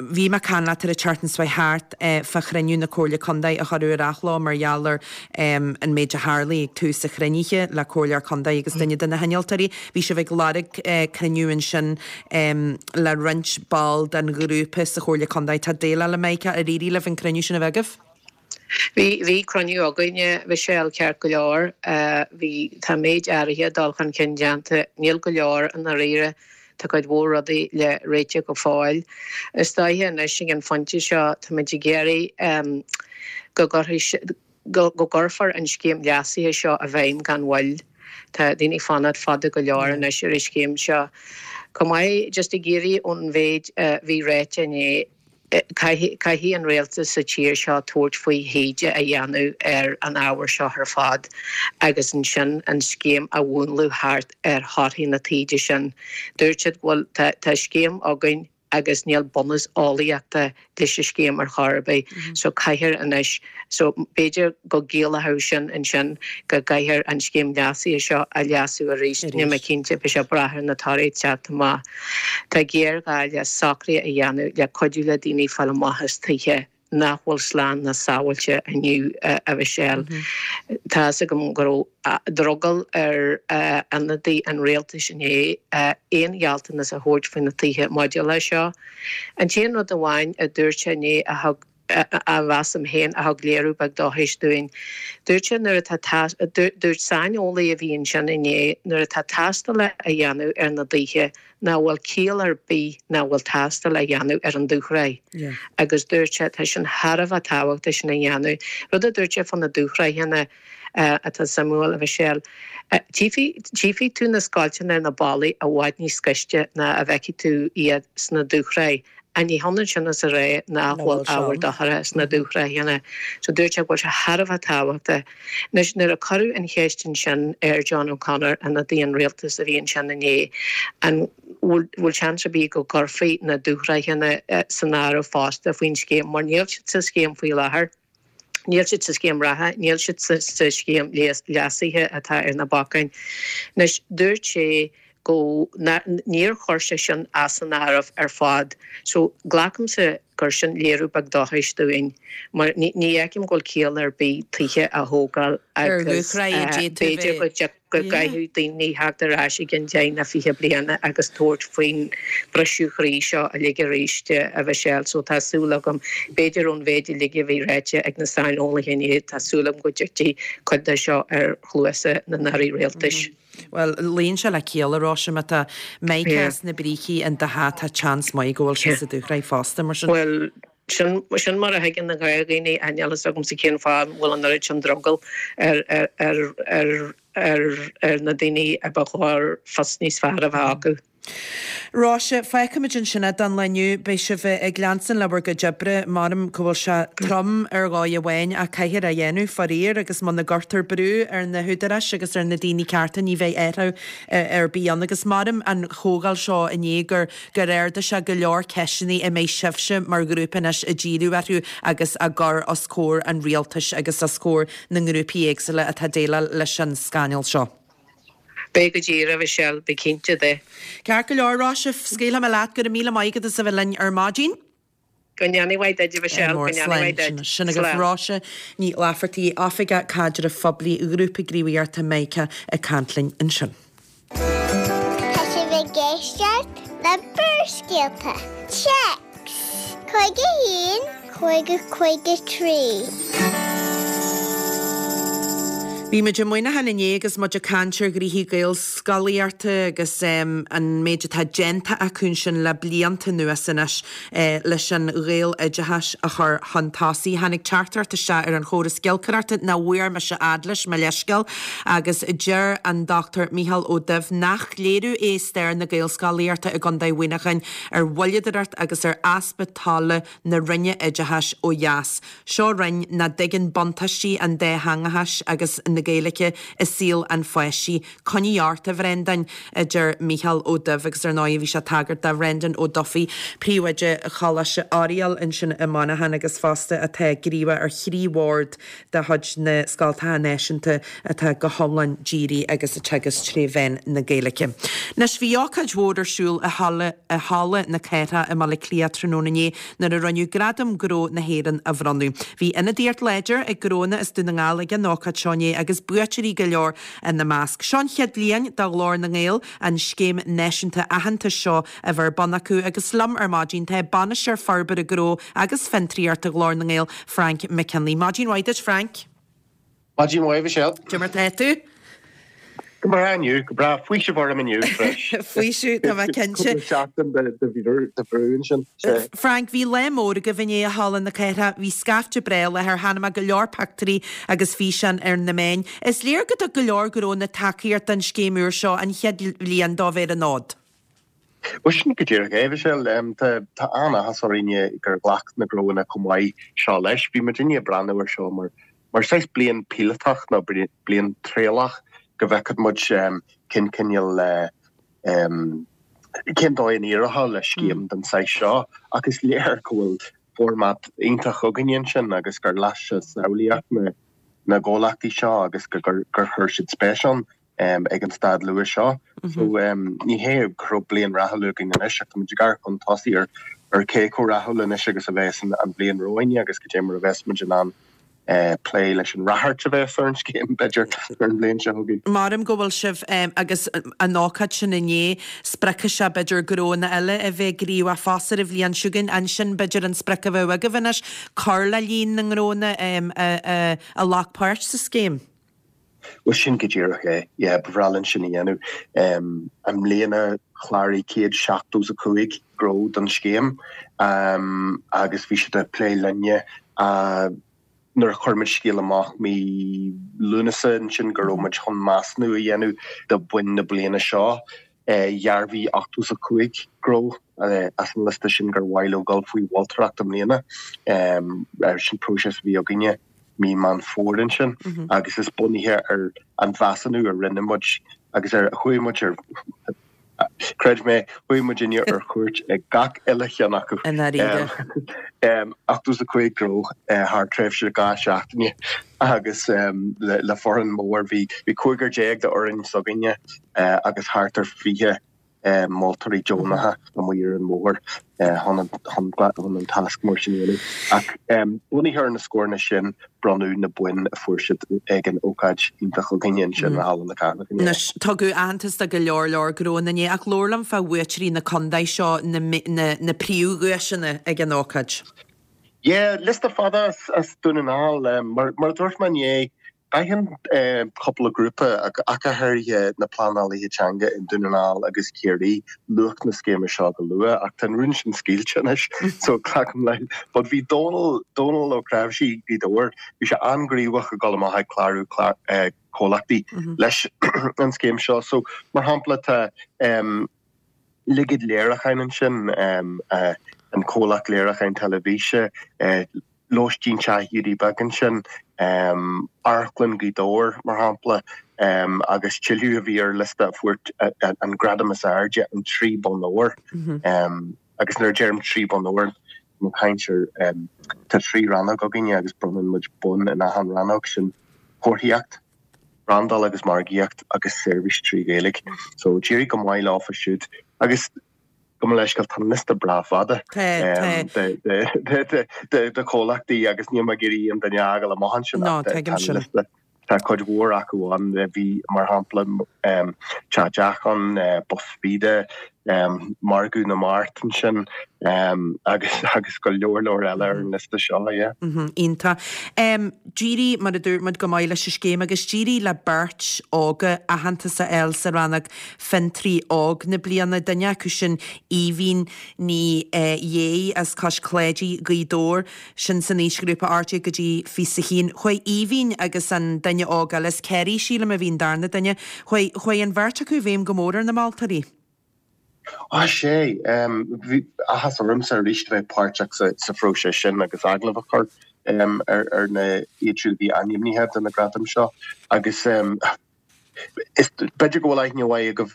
Bhí mé ag caint leat ar an tseachtain seo thart fá chruinniú na Comhairle Contae a cuireadh ar athló mar gheall ar an méid a tharlaigh ag tús an chruinnithe le Comhairleoir Contae agus duine de na hinnealtóirí. Bhí sibh ag lorg cruinniú ansin le roinnt ball den ghrúpa sa Chomhairle Contae atá ag déileáil le Mica. Ar éirigh libh an cruinniú sin a bheith agaibh? Bhí, bhí cruinniú againne, Michelle, ceart go leor. Bhí, tá méid áirithe dul chun cinn déanta. Níl go leor i ndáiríre. Tá cuid mhór rudaí le réiteach go fóill. Is dóiche anois ag an phointe seo, táimid ag iarraidh go gcuirfidh, go gcuirfear an scéim leasaithe seo i bhfeidhm gan mhoill. Tá daoine ag fanacht fada go leor anois ar an scéim seo. Chomh maith, just ag iarraidh ón mhéid a bhí ráite inné, Caithfidh an rialtas sa tír seo tabhairt faoi thaighde a dhéanamh ar an ábhar seo ar fad agus ansin an scéim a mhúnlú thart ar thorthaí na taighde sin. Dúirt siad go bhfuil tá scéim againn agus níl bunús eolaíochta leis an scéim ar chor ar bith so caithfear anois so b'fhéidir go gciallódh sin ansin go gcaithfear an scéim leasaithe seo a leasú arís. Níl mé cinnte, beidh sé ag brath ar na torthaí ag teacht amach. Tá géarghá le socruithe a dhéanamh le cuidiú le daoine fáil amach as tithe nach bhfuil slán ná sábháilte inniu, a Mhichelle. Tá fhios agam go raibh drogall ar ionadaí an rialtais inné aon ghealltanas a thabhairt faoi na tithe maidir leis seo. An t-aon rud amháin a dúirt sé inné a thug a mheasaim féin a thug léiriú beag dóchais dúinn. Dúirt sé nuair atá dúirt saineolaí a bhí ansin inné nuair atá tástáil á dhéanamh ar na dtithe nach bhfuil ciall ar bith nach bhfuil tástáil á dhéanamh ar an dúshraith. Agus dúirt sé tá sin thar a bheith tábhachtach sin a dhéanamh. Rud a dúirt sé fá na dúshraitheanna atá suimiúil, a Mhichelle. Tchífidh tú na scoilteanna ar na ballaí i bhfad níos gaiste ná a bhfeicfidh tú iad sna dúshraith. Ach ní hionann sin is a rá nach bhfuil ábhar dochrach sna dúshraitheanna. So dúirt sé go bhfuil sé thar a bheith tábhachtach. Anois, nuair a cuireadh an cheist ansin ar John O'Connor, ionadaí an rialtais a bhí ansin inné, an bhfuil seans ar bith go gcuirfí na dúshraitheanna san áireamh fosta faoin scéim, mar níl siad sa scéim faoi láthair. Níl siad sa scéim reatha, níl siad sa scéim leasaithe atá ar na bacáin. Anois, dúirt sé go níor chuir sé sin as an áireamh ar fad. So glacaimse gur sin léiriú beag dóchais dúinn, mar ní fheicim go bhfuil ciall ar bith tithe a thógáil agus b'fhéidir go go gcaithfidh daoine theacht ar ais i gcionn deich nó fiche bliana agus tabhairt faoin briseadh croí seo uilig arís, a Mhichelle. So tá súil agam, b'fhéidir ón mhéid uilig a bhí ráite ag na saineolaithe inné, tá súil agam go dtitfidh cuid de seo ar chluasa na n-airí rialtais. Bhuel, luíonn sé le ciall, a Róise, má tá mica sna brící in do theach tá seans maith go bhfuil sé sa dúshraith fosta, mar sin. Bhuel, sin, sin mar a thuigeann na gnáthdhaoine, níl a fhios agamsa cén fáth a bhfuil an oiread sin drogall ar, ar, ar, ar, ar, ar na daoine a ba chóir fios níos fearr a bheith acu. Róise, fágfaimid ansin é don lá inniu. Beidh sibh ag leanstan le bhur gcuid oibre. M'anam go bhfuil sé trom ar dhóigh amháin ach caithfear é a dhéanamh, faraor, agus muna gcuirtear brú ar na húdaráis agus ar na daoine cearta ní bheidh athrú ar bith ann. Agus m'anam an chomhdháil seo inné gur gur ardaigh sé go leor ceisteanna a mbeidh sibhse mar ghrúpa anois ag díriú orthu agus á gcur os comhair an rialtais agus os comhair na ngrúpaí éagsúla atá ag déileáil leis an scannal seo. Beidh go díreach, a Mhichelle, bí cinnte de. Ceart go leor, Róise, scaoilfidh mé leat, go raibh míle maith agat as a bheith linn ar maidin. Go ndéana mhaith duit, a Mhichelle, go ndéana mhaith duit. Sin agaibh Róise Ní Laifeartaigh, Oifigeach Caidrimh Phoiblí Ghrúpa Gníomhaíochta Mica ag caint linn ansin. Tá sibh ag éisteacht le Barrscéalta. Téacs cúig a haon, cúig a cúig a trí. Bhí muid i Muineachán inné agus muid ag caint ar ghnoithí Gaelscolaíochta agus an méid atá déanta acu ansin le blianta anuas anois leis an Ghaeloideachas a chur chun tosaigh. Tháinig teachtaireacht isteach ar an chóras giolcaireachta nach bhfuair mise a fhad leis, mo leithscéal, agus deir an Dochtúir Mícheál Ó Duibh nach léiriú é stair na Gaelscolaíochta i gContae Mhuineacháin ar mhoilleadóireacht agus ar easpa tola na Roinne Oideachais ó dheas. Seo Roinn nach dtuigeann buntáistí an dátheangachais agus na Gaeilge i saol an pháiste. Coinnigh ort, a Bhrendáin, a deir Mícheál Ó Duibh agus ar ndóigh bhí sé ag tagairt do Bhrendan Ó Dufaigh, príomhoide Choláiste Oiriall ansin i Muineachán agus fosta atá gníomhach ar thrí bhord de chuid na Scoltacha Náisiúnta atá go hiomlán dírithe agus ag teagasc tré mheán na Gaeilge. Anois bhí ócáid mhór ar siúl i Halla i Halla na Cathrach i mBaile Átha Cliath tráthnóna inné nuair a rinneadh Gradaim Gnó na hÉireann a bhronnadh. Bhí ionadaíocht láidir ag gnóanna as Dún na nGall ag an ócáid seo inné agus buaiteoirí go leor ina measc. Seo an chéad bhliain do Ghlór na nGael an scéim náisiúnta aitheantais seo a bheith ar bun acu agus liom ar maidin tá Bainisteoir Forbartha Gnó agus Fiontraíochta Ghlór na nGael, Frank McKinley. Maidin mhaith duit, Frank. Maidin mhaith, Michelle. Cad é mar atá tú? Go breá inniu, go breá. Faoiseamh orm inniu, freis. Faoiseamh, tá mé cinnte. Cúpla seachtain de bhrú ansin. Frank, bhí lá mór agaibh inné i Halla na Cathrach. Bhí scaifte breá i láthair, chonaic mé go leor pictiúirí agus físeáin ar na meáin. Is léir go dtug go leor gnónna tacaíocht don scéim úr seo an chéad bhliain dó bheith ar an fhód. Bhuel, sin go díreach é, Michelle. Tá tá an-áthas orainne gur ghlac na gnóanna chomh maith seo leis. Bhí muidinne ag breathnú air seo mar mar saghas bliain píolótach nó bliain trialach go bhfeicfeadh muid cén cineál cén dóigh a n-éireodh le scéim den saghas seo ach is léir go bhfuil format iontach againne ansin agus gur las sé samhlaíocht na na gcomhlachtaí seo agus gur gur chuir siad spéis ann ag an staid luath seo. So ní hé go raibh bliain rathúil againn anois ach tá muid ag amharc chun tosaigh ar ar cé chomh rathúil anois agus a bheas an bhliain romhainn agus cad é mar a bheas muid in ann plé leis an ráchairt a bheas ar an scéim, b'fhéidir, ar an bhliain seo chugainn. Maram go bhfuil sibh agus an ócáid sin inné, spreagfaidh sé b'fhéidir gnónna eile a bheith gníomhach fosta ar an bhliain seo chugainn. Ansin b'fhéidir an sprioc a bheadh agaibh anois, cur le líon na ngnónna a ghlac páirt sa scéim. Bhuel sin go díreach é, yeah, ba bhreá linn sin a dhéanamh. I mbliana chláraigh céad seachtó is a cúig gnó don scéim agus bhí siad ag plé linne nuair a chuir muid scéal amach mí Lúnasa ansin go raibh muid chun measúnú a dhéanamh do bhoinn na bliana seo. Dhearbhaigh ochtó is a cúig gnó as an liosta sin gur mhaith leo dul faoi mholtóireacht i mbliana. Sin próiseas a bhí againne mí Meán Fómhair ansin agus is bunaithe ar an mheasúnú a rinne muid agus ar chuaigh muid ar Creid mé, chuaigh muidinne ar chuairt ag gach uile cheann acu. I ndáiríre. Ochtó is a cúig gnó thar tréimhse dhá seachtaine agus le foireann mór. Bhí cúigear déag d'fhoireann s'againne agus thart ar fiche moltóirí deonacha amuigh ar an mbóthar chun an tasc mór sin a dhéanamh. Ach bunaithe ar na scóranna sin, bronnadh na boinn a fuair siad ag an ócáid iontach againne ansin i Halla na Cathrach inné. Anois, tugadh aitheantas do go leor leor gnónna inné ach labhair liom fá bhuaiteoirí na contae seo, na na príomhdhuaiseanna ag an ócáid. Yeah, liosta fada as Dún na nGall. Mar a dúirt mé inné, D'aithin cúpla grúpa, ach go háirithe na pleanálaithe teanga i nDún na nGall agus Ciarraí, luach na scéime seo go luath, ach tá an rún sin scaoilte anois, so glacaim leis. But bhí Dónal, Dónal Ó Cnáimhsí, Gaoth Dobhair, bhí sé an-ghníomhach ag dul amach ag clárú comhlachtaí leis an scéim seo. So, mar shampla, tá Liguid Léiriúcháin ansin, an comhlacht léiriúcháin teilifíse, Lóistín Teach Hiúdaí Beag ansin, Amharclann Ghaoth Dobhair, mar shampla, agus tuilleadh a bhí ar liosta a fuair an gradam is airde, an trí bonn óir. Agus nuair a deirim trí bonn óir, tá mé ag caint ar, tá trí rannóg againne agus bronnann muid bonn in achan rannóg, sin comharthaíocht, brandáil agus margaíocht agus seirbhís trí Ghaeilge. So d'éirigh go maith leofa siúd. Agus. Gabh mo leithscéal, tá an liosta breá fada de chomhlachtaí agus níl mé ag iarraidh aon duine a fhágáil amach ansin ach tá an liosta, tá cuid mhór acu ann. Bhí, mar shampla, Teach Deachán, Bus Feda, Margadh na Mart ansin agus agus go leor leor eile ar an liosta seo, yeah. Iontach. D'éirigh, mar a dúirt muid, go maith leis an scéim agus d'éirigh le beirt óga aitheantas a fháil sa rannóg Fiontraí Óg na Bliana, duine acu sin Aoibhín Ní Dhéigh as Cois Cláidí, Gaoth Dobhair, sin san aoisghrúpa ocht déag go dtí fiche a haon. Chuaigh Aoibhín agus an duine óg eile, as Ciarraí sílim a bhí an darna duine, chuaigh, chuaigh an bheirt acu i bhfeidhm go mór ar na moltóirí. Á, sea, bhí áthas ormsa arís a bheith páirteach sa phróiseas sin agus agallamh a chur ar na iad siúd a bhí ainmnithe do na gradaim seo agus Is b'fhéidir go bhfuil aithne mhaith agaibh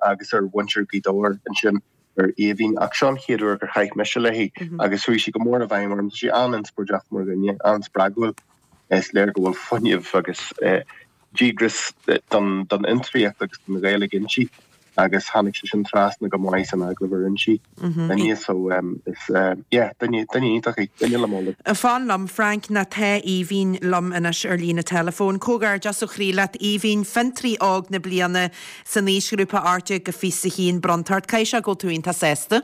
agus ar mhuintir Ghaoth Dobhair ansin ar Aoibhín ach seo an chéad uair gur chaith mise léi agus chuaigh sí go mór i bhfeidhm orm. Tá sí an-inspioráideach mar dhuine, an-spreagúil. Is léir go bhfuil fuinneamh agus díograis don fhiontraíocht agus don Ghaeilge inti. agus tháinig sé sin trasna go maith san agallamh a rinne sí linne so is yeah duine duine iontach í, duine le moladh. Fan liom Frank nó tá Aoibhín liom anois ar líne teileafóin. Comhghairdeas ó chroí leat Aoibhín, Fiontraí Óg na Bliana san aoisghrúpa ocht déag go fiche a haon bronnta ort. Caithfidh sé go bhfuil tú iontach sásta?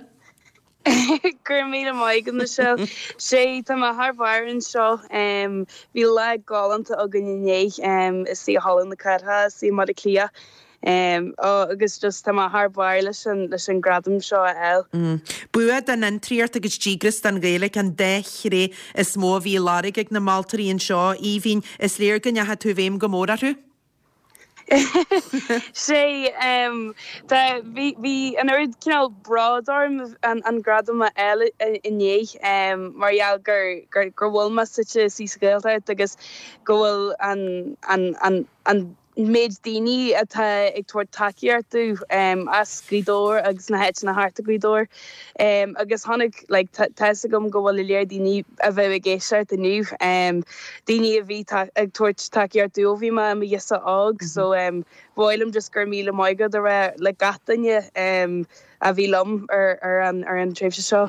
Go raibh míle maith agat Michelle. Sea, tá mé thar barr anseo. Bhí lá galánta againn inné istigh i Halla na Cathrach istigh i mBaile Átha Cliath. Agus just tá mé thar barr leis an leis an gradam seo a fháil. Bua don fhiontraíocht agus díograis don Ghaeilge an dá thréith is mó a bhí á lorg ag na moltóirí anseo. Aoibhín, is léir go ndeachaigh tú i bhfeidhm go mór orthu. Sea, tá, bhí, bhí an oiread cineál bród orm an, an gradam a fháil inné mar gheall gur, gur, gur bhfuil mé suite istigh sa Ghaeltacht agus go bhfuil an, an, an, an méid daoine atá ag tabhairt tacaíocht domh as Gaoth Dobhair agus na háiteanna thart ar Ghaoth Dobhair agus tháinig like tá fhios agam go bhfuil go leor daoine a bheidh ag éisteacht inniu daoine a bhí ag tabhairt tacaíocht domh ó bhí mé i mo ghirseach óg so ba mhaith liom just go raibh míle maith agat a rá le gach duine a bhí liom ar ar an ar an tréimhse seo.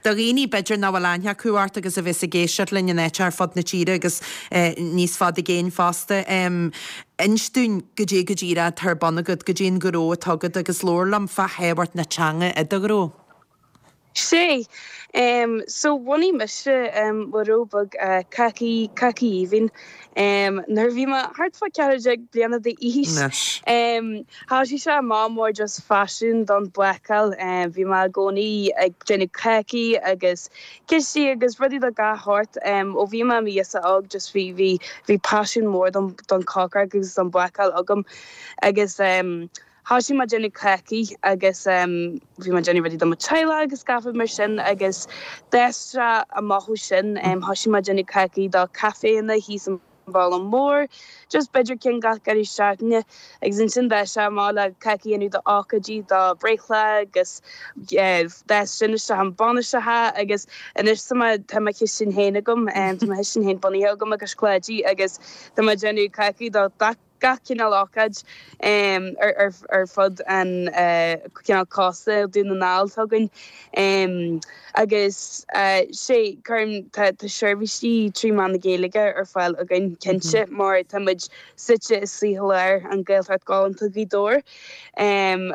Do dhaoine b'fhéidir nach bhfuil aithne acu ort agus a bheas ag éisteacht linn in áit ar fud na tíre agus níos faide i gcéin fosta, inis dúinn goidé go díreach atá ar bun agat, goidé an gnó atá agat agus labhair liom fá thábhacht na teanga i do ghnó. Sea. So bhunaigh mise mo ghnó beag Cácaí Cácaí Aoibhinn nuair a bhí mé thart fá ceathair déag bliana d'aois. Thosaigh sé amach mar just paisean don bhácáil. Bhí mé i gcónaí ag déanamh cácaí agus cistí agus rudaí de gach shórt. Ó bhí mé i mo ghirseach óg just bhí bhí bhí paisean mór don don chócaireacht agus don bhácáil agam agus thosaigh mé ag déanamh cácaí agus bhí mé ag déanamh rudaí do mo teaghlach agus gach rud mar sin agus d'fhás sé amach ó sin. Thosaigh mé ag déanamh cácaí do caiféanna thíos i mBaile Mór, just b'fhéidir ceann gach deireadh seachtaine agus ansin d'fhás sé amach le cácaí a dhéanamh do ócáidí, do breithlá agus d'fhás sin isteach i mbainiseacha agus anois tá mé tá mo chistin féin agam, tá mo chistin féin bunaithe agam i gCois Cláidí agus tá mé ag déanamh cácaí do gach cineál ócáid ar fud an cineál cósta Dún na nGall atá againn agus sé cuirim tá seirbhísí trí mheán na Gaeilge ar fáil againn cinnte mar tá muid suite i lár an Ghaeltacht galánta Ghaoth Dobhair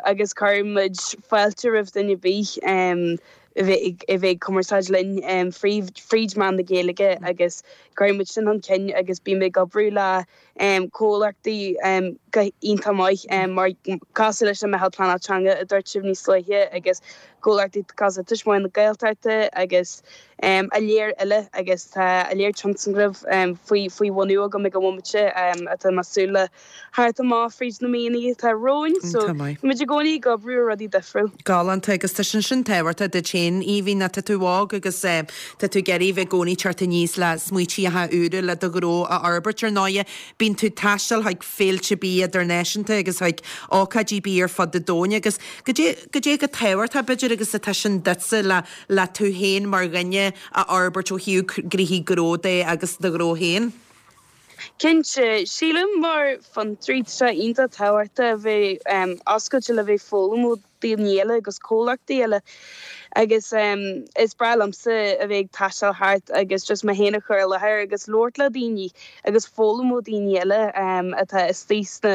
agus cuireann muid fáilte roimh duine ar bith a bheith a bheith ag cumarsáid linn fríd mheán na Gaeilge agus cuireann muid sin chun cinn agus bím ag oibriú le comhlachtaí go iontach maith mar cosúil leis an Meitheal Pleanála Teanga a dúirt sibh níos luaithe agus comhlachtaí cosúil le Tuismitheoirí na Gaeltachta agus go leor eile agus tá go leor tionscnamh faoi faoi bhunú agam ag an bhomaite atá mé ag súil le theacht amach fríd na míonna atá romhainn so tá muid i gcónaí ag oibriú ar rudaí difriúil. Galánta agus tá sin sin tábhachtach duit féin Aoibhinn tá tú óg agus tá tú ag iarraidh bheith i gcónaí teacht aníos le smaoitíocha úra le do ghnó a fhorbairt ar ndóighe. Bíonn tú ag taisteal chuig féilte bia idirnáisiúnta agus chuig ócáidí bia ar fud an domhain agus goidé goidé chomh tábhachtach b'fhéidir agus atá sin duitse le le tú féin mar dhuine a fhorbairt ó thaobh gnoithí gnó de agus do ghnó féin? Cinnte, sílim mar fhiontraí tá sé iontach tábhachtach a bheith oscailte le bheith foghlaim ó daoine eile agus comhlachtaí eile agus is breá liomsa a bheith ag taisteal thart agus just mé féin a chur i láthair agus labhairt le daoine agus foghlaim ó daoine eile atá istigh sna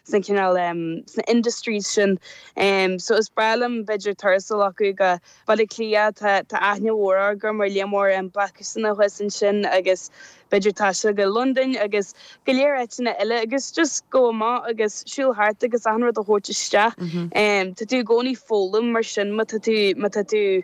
sna cineál sna industries sin. So is breá liom b'fhéidir turas a ghlacadh go Baile Átha Cliath, tá tá aithne mhór agam ar lear mór bácúsanna thuas ansin agus b'fhéidir taisteal go Londain agus go leor áiteanna eile agus just go amach agus siúl thart agus achan rud a thabhairt isteach. Tá tú i gcónaí foghlaim mar sin má tá tú má tá tú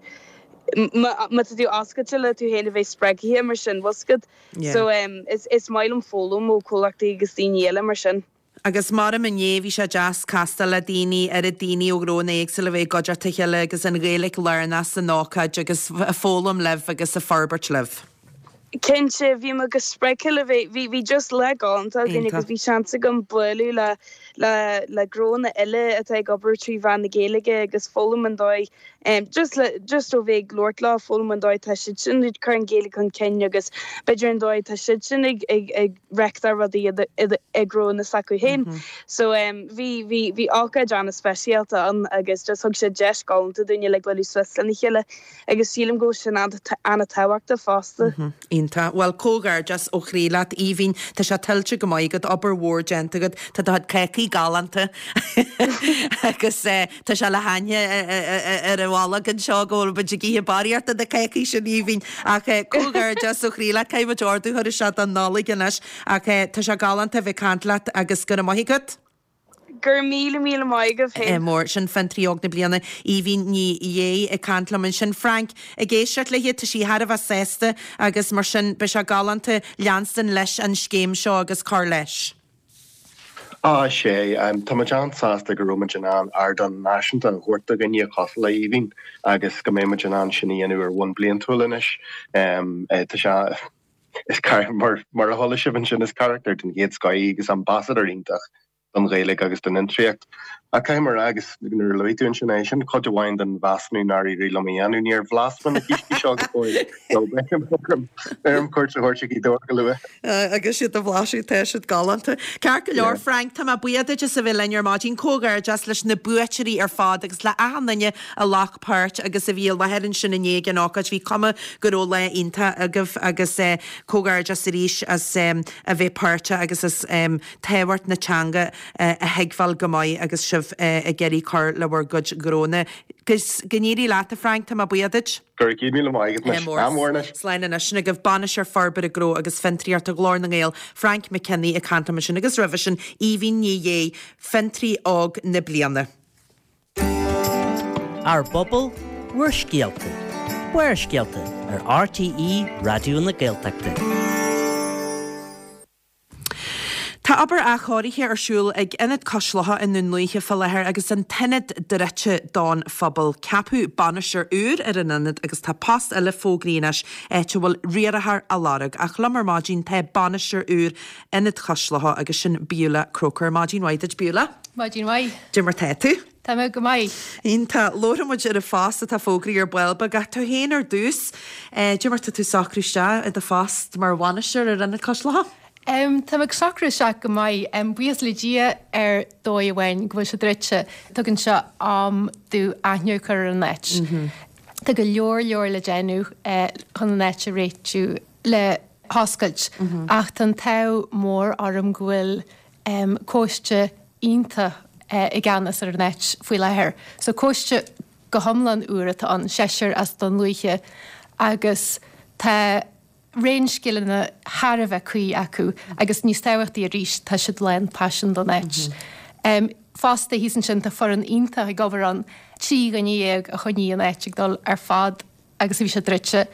má tá tú oscailte le tú féin a bheith spreagtha mar sin bhfuil 's agat. So is is maith liom foghlaim ó chomhlachtaí agus daoine eile mar sin. Agus maram inné bhí sé deas castáil le daoine, oiread daoine ó ghnónna éagsúla a bheith i gcuideachta a chéile agus an Ghaeilge lárnach san ócáid agus ag foghlaim libh agus ag forbairt libh. Cinnte, bhí mé go spreagtha le bheith, bhí, bhí just lá galánta againn agus bhí seans agam bualadh le, le, le gnónna eile atá ag obair trí mheán na Gaeilge agus foghlaim an dóigh, just le, just ó bheith ag labhairt leo, foghlaim an dóigh atá siad sin ag cur an Ghaeilge chun cinn agus b'fhéidir an dóigh atá siad sin ag, ag, ag reáchtáil rudaí i ngnónna s'acu féin. So bhí, bhí, bhí ócáid an-speisialta ann agus just thug sé deis galánta dúinne le bualadh suas lena chéile agus sílim go bhfuil sin an-tábhachtach fosta. Iontach. Bhuel, comhghairdeas ó chroí leat, Aoibhinn. Tá sé tuillte go maith agat, obair mhór déanta agat, tá do chuid cácaí galánta agus tá sé le haithne ar an bholg anseo go bhfuil muid ag ithe barraíocht de na cácaí sin, Aoibhinn. Ach comhghairdeas ó chroí leat. Caithfidh muid ordú a chur isteach don Nollaig anois ach tá sé galánta a bheith ag caint leat agus go raibh maith agat. Go raibh míle míle maith agaibh féin. Mór. Sin Fiontraí Óg na Bliana, Aoibhinn Ní Dhé ag caint liom ansin. Frank, ag éisteacht léi, tá sí thar a bheith sásta agus mar sin beidh sé galánta leanstan leis an scéim seo agus cur leis. Á, sé, tá muid an-sásta go raibh muid in ann ardán náisiúnta a thabhairt do dhuine cosúil le hAoibhinn agus go mbeidh muid in ann sin a dhéanamh ar bhonn bliantúil anois. Tá sé, is mar, mar a chuala sibh ansin, is carachtar den chéad scoth í agus ambasadóir iontach don Ghaeilge agus don fhiontraíocht. Ach caithfidh mé a rá agus nuair a luaigh tú ansin é, sin cuid amháin den mheasúnú nár éirigh liom a dhéanamh, níor bhlas mé na cístí seo go fóill so beidh orm cuairt a thabhairt ar Ghaoth Dobhair go luath. Agus iad a bhlaiseadh, tá siad galánta. Ceart go leor, Frank, tá mé buíoch duit as a bheith linn ar maidin. Comhghairdeas leis na buaiteoirí ar fad agus le achan duine a ghlac páirt agus a bhí i láthair ansin inné ag an ócáid. Bhí cuma go raibh lá iontach agaibh agus comhghairdeas arís as a bheith páirteach agus as tábhacht na teanga a thuigbheáil go maith agus sibh ag iarraidh cur le bhur gcuid gnónna. Go n-éirí leat, a Frank, tá mé buíoch duit. Go raibh céad míle maith agat anois. Ádh mór anois. Slán anois. Sin agaibh Bainisteoir Forbartha Gnó agus Fiontraíochta Ghlór na nGael, Frank McKinney ag caint liom ansin agus roimhe sin Aoibhín Ní Dhé, Fiontraí Óg na Bliana. Ár bpobal, bhur scéalta. Barrscéalta ar RTÉ Raidió na Gaeltachta. Tá obair athchóirithe ar siúl ag Ionad Cois Locha i nDún Lúiche fá láthair agus an t-ionad druidte don phobal. Ceapadh bainisteoir úr ar an ionad agus tá post eile fógraithe anois, áit a bhfuil riarthóir á lorg. Ach liom ar maidin tá bainisteoir úr Ionad Chois Locha agus sin Beulah Croker. Maidin mhaith duit Beulah. Maidin mhaith. Cad é mar tá tú? Tá mé go maith. Iontach. Labharfaidh muid ar an phost atá fógraithe ar ball beag ach tú féin ar dtús. Cad é mar tá tú ag socrú isteach i do phost mar bhainisteoir ar Ionad Cois Locha? Um, tá mé ag socrú isteach go maith. Um, buíochas le Dia ar dóigh amháin go bhfuil sé druidte. Tugann sé am domh aithne a chur ar an áit. Mm -hmm. Tá go leor leor le déanamh uh, chun an áit a réitiú le hoscailt mm -hmm. ach tá an t-ádh mór orm go bhfuil um, coiste iontach uh, i gceannas ar an áit faoi láthair. So coiste go hiomlán úr atá ann seisear as Dún Lúiche agus tá raon scileanna thar a bheith cuí acu agus níos tábhachtaí arís tá siad lán paisin don áit. Mm -hmm. um, fosta thíos ansin tá foireann iontach ag obair ann trí dhuine dhéag a choinnigh an áit ag dul ar fad agus a bhí sé druidte.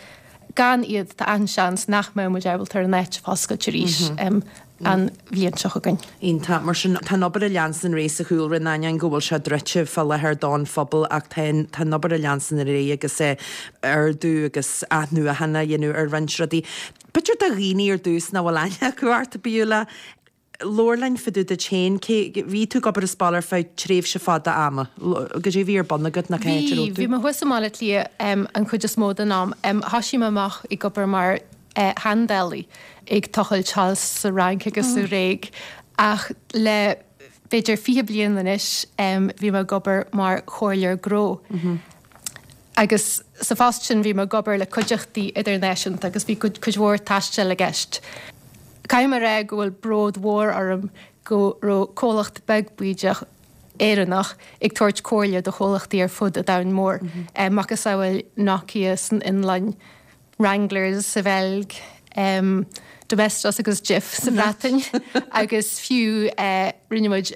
Gan iad tá an-seans nach mbeadh muid ábalta ar an áit a fhoscailt arís mm -hmm. um, an bhliain seo chugainn. Iontach, mar sin tá an obair ag leanstan ar aghaidh sa chúlra in ainneoin go bhfuil sé druidte fá láthair don phobal ach tá tá an obair ag leanstan ar aghaidh agus é ardú agus athnuachan a dhéanamh ar roinnt rudaí. B'fhéidir do dhaoine ar dtús nach bhfuil aithne acu ort Beulah, labhair linn fá dtaobh duit féin, cé bhí tú ag obair i Spáil ar feadh tréimhse fada ama, goidé a bhí ar bun agat nó cá háit a Bhí, raibh tú? bhí mé thuas i mBaile Átha Cliath um, an chuid is mó den am. Um, thosaigh mé amach ag obair mar uh, sheandálaí ag tochailt thall sa Fhrainc agus sa Ghréig ach le b'fhéidir fiche bliain anois um, bhí mé ag obair mar chomhairleoir gnó. Mm -hmm. Agus sa phost sin bhí mé ag obair le cuideachtaí idirnáisiúnta agus bhí cuid cuid mhór taistil i gceist. Caithfidh mé a rá go bhfuil bród mhór orm go raibh comhlacht beag bídeach Éireannach ag tabhairt comhairle do chomhlachtaí ar fud an domhain mhóir. Mm -hmm. um, macasamhail Nokia san Fhionlainn, Wranglers sa Bheilg, um, Domestos agus Jif sa Bhreatain agus fiú uh, rinne muid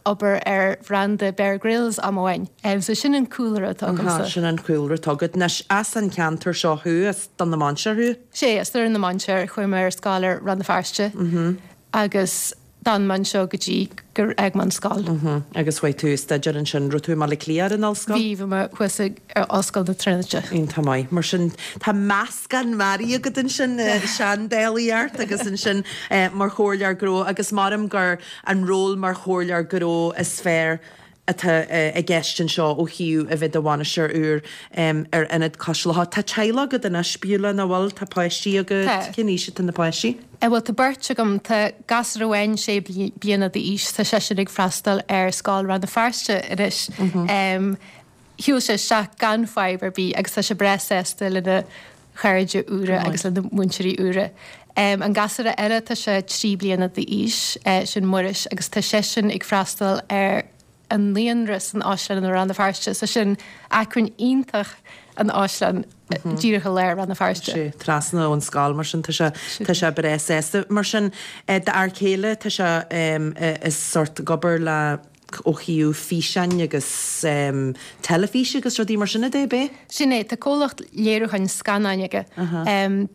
obair ar bhranda Bear Grylls am amháin. Um, so sin an cúlra atá agamsa. Sin an cúlra atá agat. Anois as an ceantar seo thú as Dún na Mainséar thú? Sé as Doire na Mainséar chuaigh mé ar scoil ar Rann na Feirste mm -hmm. agus d'fhan mé anseo go dtí gur fhág mé an scoil. Mm -hmm. Agus chuaigh tú ag staidéar ansin raibh tú i mBaile Átha Cliath ar an ollscoil? Bhí bhí mé thuas ar Ollscoil na Tríonóide. Iontach maith. Mar sin tá meascán mearaí agat ansin seandálaíocht agus ansin mar chomhairleoir gnó agus maram gur an ról mar chomhairleoir gnó is fearr atá i gceist anseo ó thaobh a bheith i do bhainisteoir úr ar Ionad Cois Locha. Tá teaghlach agat anois Beulah nach bhfuil, tá páistí agat, Tá. cén aois atá na páistí? Bhuel tá beirt agam, tá gasúr amháin sé bliana d'aois, tá seisean ag freastal ar Scoil Rann na Feirste anois. Um, Shiúil sé isteach gan fadhb ar bith agus tá sé breá sásta lena chairde úra agus lena mhúinteoirí úra. Um, an gasúr eile tá sé trí bliana d'aois uh, sin Muiris agus tá seisean ag freastal ar an naíonra san Áislann i Rann na Feirste, so sin acmhainn iontach an Áislann mm -hmm. díreach i lár Rann na Feirste. Sé trasna ón scoil mar sin tá sé tá sé breá sásta. Mar sin d'fhear céile tá sé um, is sort ag obair le ó thaobh físeáin agus um, teilifís agus rudaí mar sin a dé bé? Sin é tá comhlacht léiriúcháin scannáin aige. Uh -huh. um,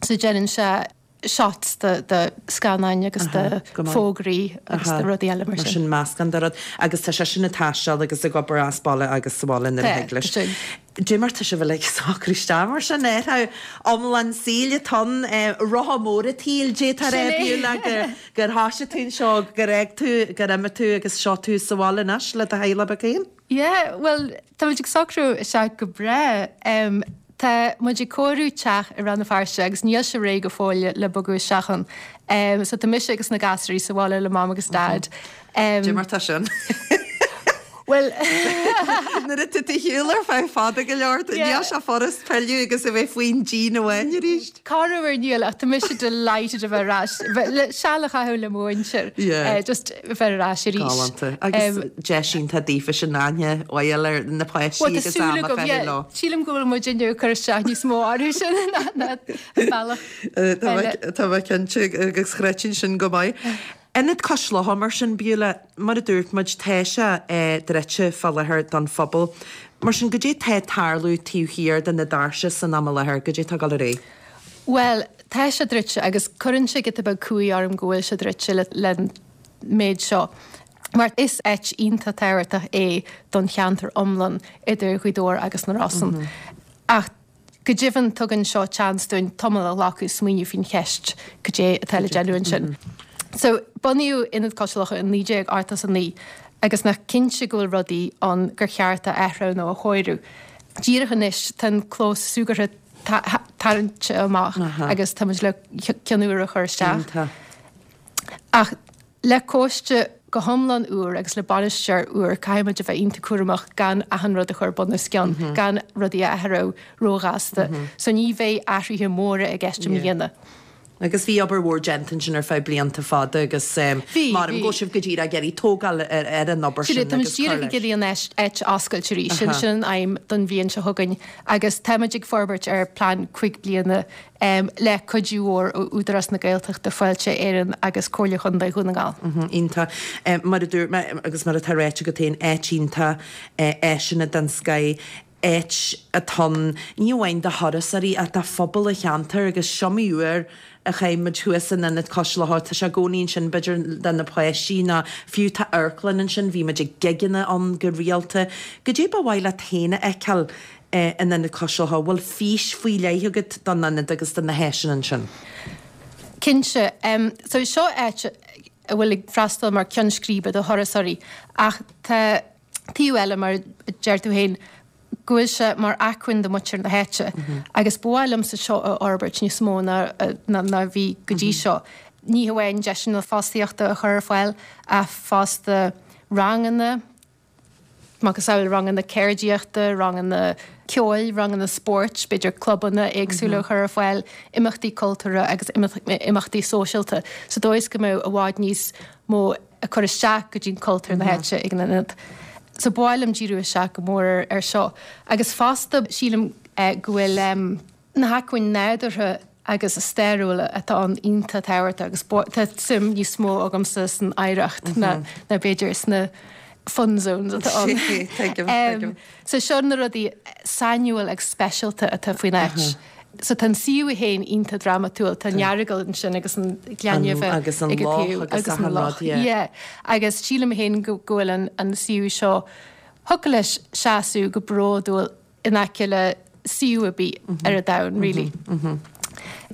so déanann sé shots de de scannáin agus de fógraí agus de rudaí eile mar sin. Mar sin meascán de rud agus tá seisean ag taisteal agus ag obair as baile agus sa bhaile nuair a thig leis. Dé mar tá sibh uilig ag socrú isteach mar sin ar iomlán saoil atá ann, rotha mór an tsaoil d'fhéadfá a rá Beulah gur thosaigh tú anseo, gur fhág tú, gur imigh tú agus seo tú sa bhaile anois le do theaghlach beag féin? Yeah, bhuel tá muid ag socrú isteach go breá. Tá muid ag cóiriú teach i Rann na Feirste agus níl sé réidh go fóill le bogadh isteach ann. So tá mise agus na gasúirí sa bhaile le Mam agus Dad. Dé mar tá sin? Bhuel nuair atá tú ar shiúl ar feadh fada go leor, níl sé furast pilleadh agus a bheith faoin díon amháin arís. Corruair níl ach tá mise delighted a bheith ar ais, le seal a chaitheamh le mo mhuintir, just a bheith ar ais arís. Galánta. Agus deis iontach daofa sin aithne a fháil ar na páistí agus am a chaitheamh leo. Sílim go bhfuil muid inniu ag cur isteach níos mó orthu sin ná an bealach eile. Tá mé cinnte agus chreidfinn sin go maith. Ionad Cois Locha mar sin, Beulah, mar a dúirt muid, tá sé druidte fá láthair don phobal. Mar sin, goidé tá ag tarlú taobh thiar de na doirse san am i láthair, goidé tá ag dul ar aghaidh? Bhuel, tá sé druidte agus cuireann sé giota beag cumhaidh orm go bhfuil sé druidte le méid seo. Mar is áit iontach tábhachtach é don cheantar iomlán idir Ghaoth Dobhair agus na Rosann. Ach Go deimhin tugann seo seans dúinn tamall a ghlacadh smaoineamh faoin cheist cad é atá le déanamh ansin. So, bunaíodh Ionad Cois Locha in naoi déag ochtó a naoi agus nach cinnte go bhfuil rudaí ann gur cheart a athrú nó a chóiriú. Díreach anois tá an clós súgartha tarraingte amach agus tá muid le ceann úr a chur isteach. Ach le coiste go hiomlán úr agus le bainisteoir úr caithfidh muid a bheith iontach cúramach gan achan rud a chur bun os cionn, gan rudaí a athrú róghasta. So ní bheidh athruithe móra i gceist i mbliana. Agus bhí obair mhór déanta ansin ar feadh blianta fada agus maram go bhfuil sibh go díreach ag iarraidh tógáil ar an obair sin agus cur leis. Tá muid díreach ag iarraidh an áit a oscailt arís, sin sin an aidhm don bhliain seo chugainn agus tá muid ag forbairt ar plean cúig bliana le cuidiú mhór ó Údarás na Gaeltachta, Fáilte Éireann agus Comhairle Chontae Dhún na nGall. Iontach. Mar a dúirt mé agus mar atá ráite agat féin, áit iontach, áiseanna den scoth, áit atá ann ní amháin do thurasóirí ach do phobal an cheantair agus is iomaí uair a chaith muid thuas in Ionad Cois Locha, tá sé i gcónaí ansin b'fhéidir do na páistí nó fiú tá amharclann ansin, bhí muid ag gigeanna ann go rialta. Goidé ba mhaith leat féin a fheiceáil in Ionad Cois Locha? Bhfuil fís faoi leith agat don ionad agus do na háiseanna ansin? Cinnte. So seo áit a bhfuil ag freastal mar ceann scríbe do thurasóirí ach tá taobh eile mar a deir tú féin go bhfuil sé mar acmhainn do mhuintir na háite agus ba mhaith liomsa seo a fhorbairt níos mó ná ná a bhí go dtí seo. Ní hamháin deiseanna fostaíochta a chur ar fáil ach fosta ranganna, macasamhail ranganna ceardaíochta, ranganna ceoil, ranganna spóirt, b'fhéidir clubanna éagsúla a chur ar fáil, imeachtaí cultúrtha agus imeachtaí sóisialta, sa dóigh is go mbeadh i bhfad níos mó ag cur isteach go dtí cultúr na háite ag an ionad. So ba mhaith liom díriú isteach go mór ar seo. Agus fosta sílim go bhfuil na hacmhainn nádúrtha agus stairiúla atá ann iontach tábhachtach agus tá suim níos mó agamsa san oidhreacht ná b'fhéidir sna fun zones atá ann. Tuigim, tuigim. So seo na rudaí sainiúil agus speisialta atá faoin áit. So tá an suíomh féin iontach drámatúil, tá an Earagail ansin agus an Gleann Nimhe agus an loch agus an loch. Yeah. Agus sílim féin go bhfuil an an suíomh seo thiocfadh leis seasamh go bródúil in aice le suíomh ar bith ar an domhan, really.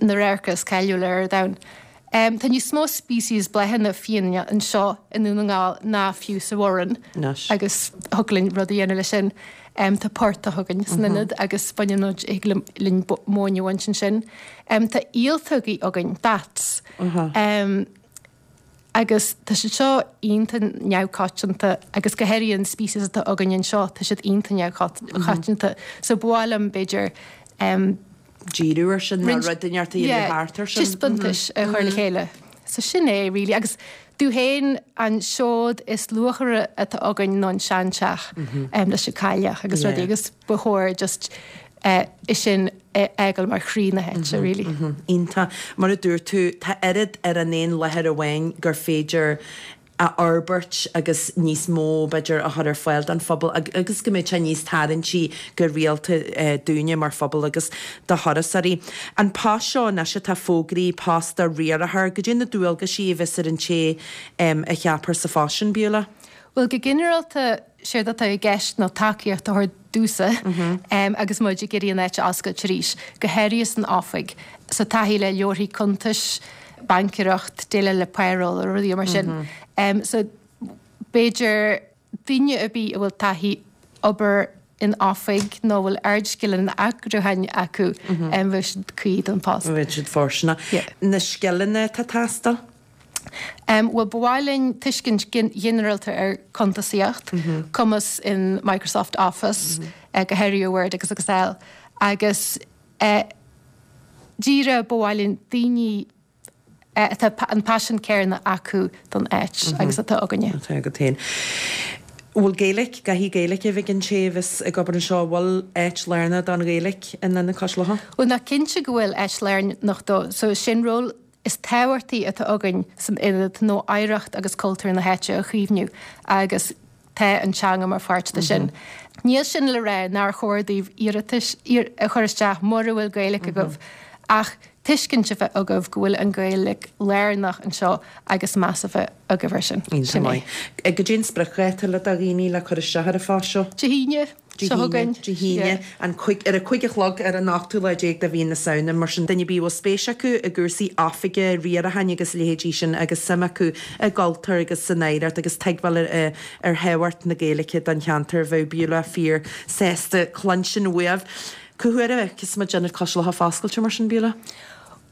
Na radharca is cáiliúla ar an domhan. Tá níos mó species bláthanna fiáine anseo i nDún na nGall ná fiú sa Bhoireann agus thiocfadh linn rud a dhéanamh leis sin. Tá portach againn san ionad agus baineann muid, thig linn móin a bhaint ansin. Tá ialtógaí againn, bats. Agus tá siad seo iontach neamhchoitianta agus go háirithe an species atá againn anseo, tá siad iontach neamhchoitianta. So ba mhaith liom b'fhéidir díriú ar sin nó rud inteacht a dhéanamh thart ar sin. Taispeántais a chur le chéile. So sin é really agus domh féin an seod is luachmhaire atá againn ná an seanteach leis an cailleach agus rudaí agus ba chóir just é sin a fhágáil mar chroí na háite really. Iontach. Mar a dúirt tú, tá oiread ar an aon láthair amháin gur féidir a fhorbairt agus níos mó b'fhéidir a chur ar fáil don phobal agus go mbeidh sé níos tarraingtí go rialta dúinne mar phobal agus do thurasóirí. An post seo anois atá fógraithe, post do riarthóir, goidé na dualgaisí a bheas ar an té a cheapfar sa phost sin, Beulah? Bhuel, go ginearálta, séard atá i gceist ná tacaíocht a thabhairt domhsa agus muid ag iarraidh an áit a oscailt arís, go háirithe san oifig. So taithí le leabharthaí cuntais, baincéireacht, déileáil le payroll, rudaí mar sin. So b'fhéidir duine ar bith a bhfuil taithí obair in oifig nó a bhfuil ardscileanna eagrúcháin acu, bheadh siad cuí don phost. Bheadh siad fóirsteanach. Na scileanna atá ag teastáil? Bhuel, ba mhaith linn tuiscint ghinearálta ar chuntasaíocht, cumas in Microsoft Office, go háirithe Word agus Excel, agus díreach ba mhaith linn daoine atá an paisean céanna acu don áit agus atá againne. Atá agat féin. Bhfuil Gaeilge, caithfidh Gaeilge a bheith ag an té a bheas ag obair anseo, bhfuil áit lárnach don Ghaeilge in Ionad Cois Locha? Bhuel, ná cinnte go bhfuil áit lárnach dó. So sin ról is tábhachtaí atá againn san ionad nó oidhreacht agus cultúr na háite a chaomhnú agus tá an teanga mar pháirt de sin. Níl sin le rá nár chóir daoibh iarratais a chur isteach mura bhfuil Gaeilge agaibh ach tuiscint a bheith agaibh go bhfuil an Ghaeilge lárnach anseo agus meas a bheith agaibh air sin. Sin é. Goidé an spriocdháta le do dhaoine le cur isteach ar an phost seo? Dé hAoine seo chugainn. Dé hAoine, an cúig, ar a cúig a chlog ar an ochtú lá déag de mhí na Samhna. Mar sin, duine ar bith a bhfuil spéis acu i gcúrsaí oifige, riaracháin agus a leithéidí sin agus suim acu i gcultúr agus san oidhreacht agus tuigbheáil ar ar thábhacht na Gaeilge don cheantar, bheadh Beulah fíor sásta cluinstin uaibh. Cá huair a fheicfeas muid Ionad Cois Locha foscailte mar sin, Beulah?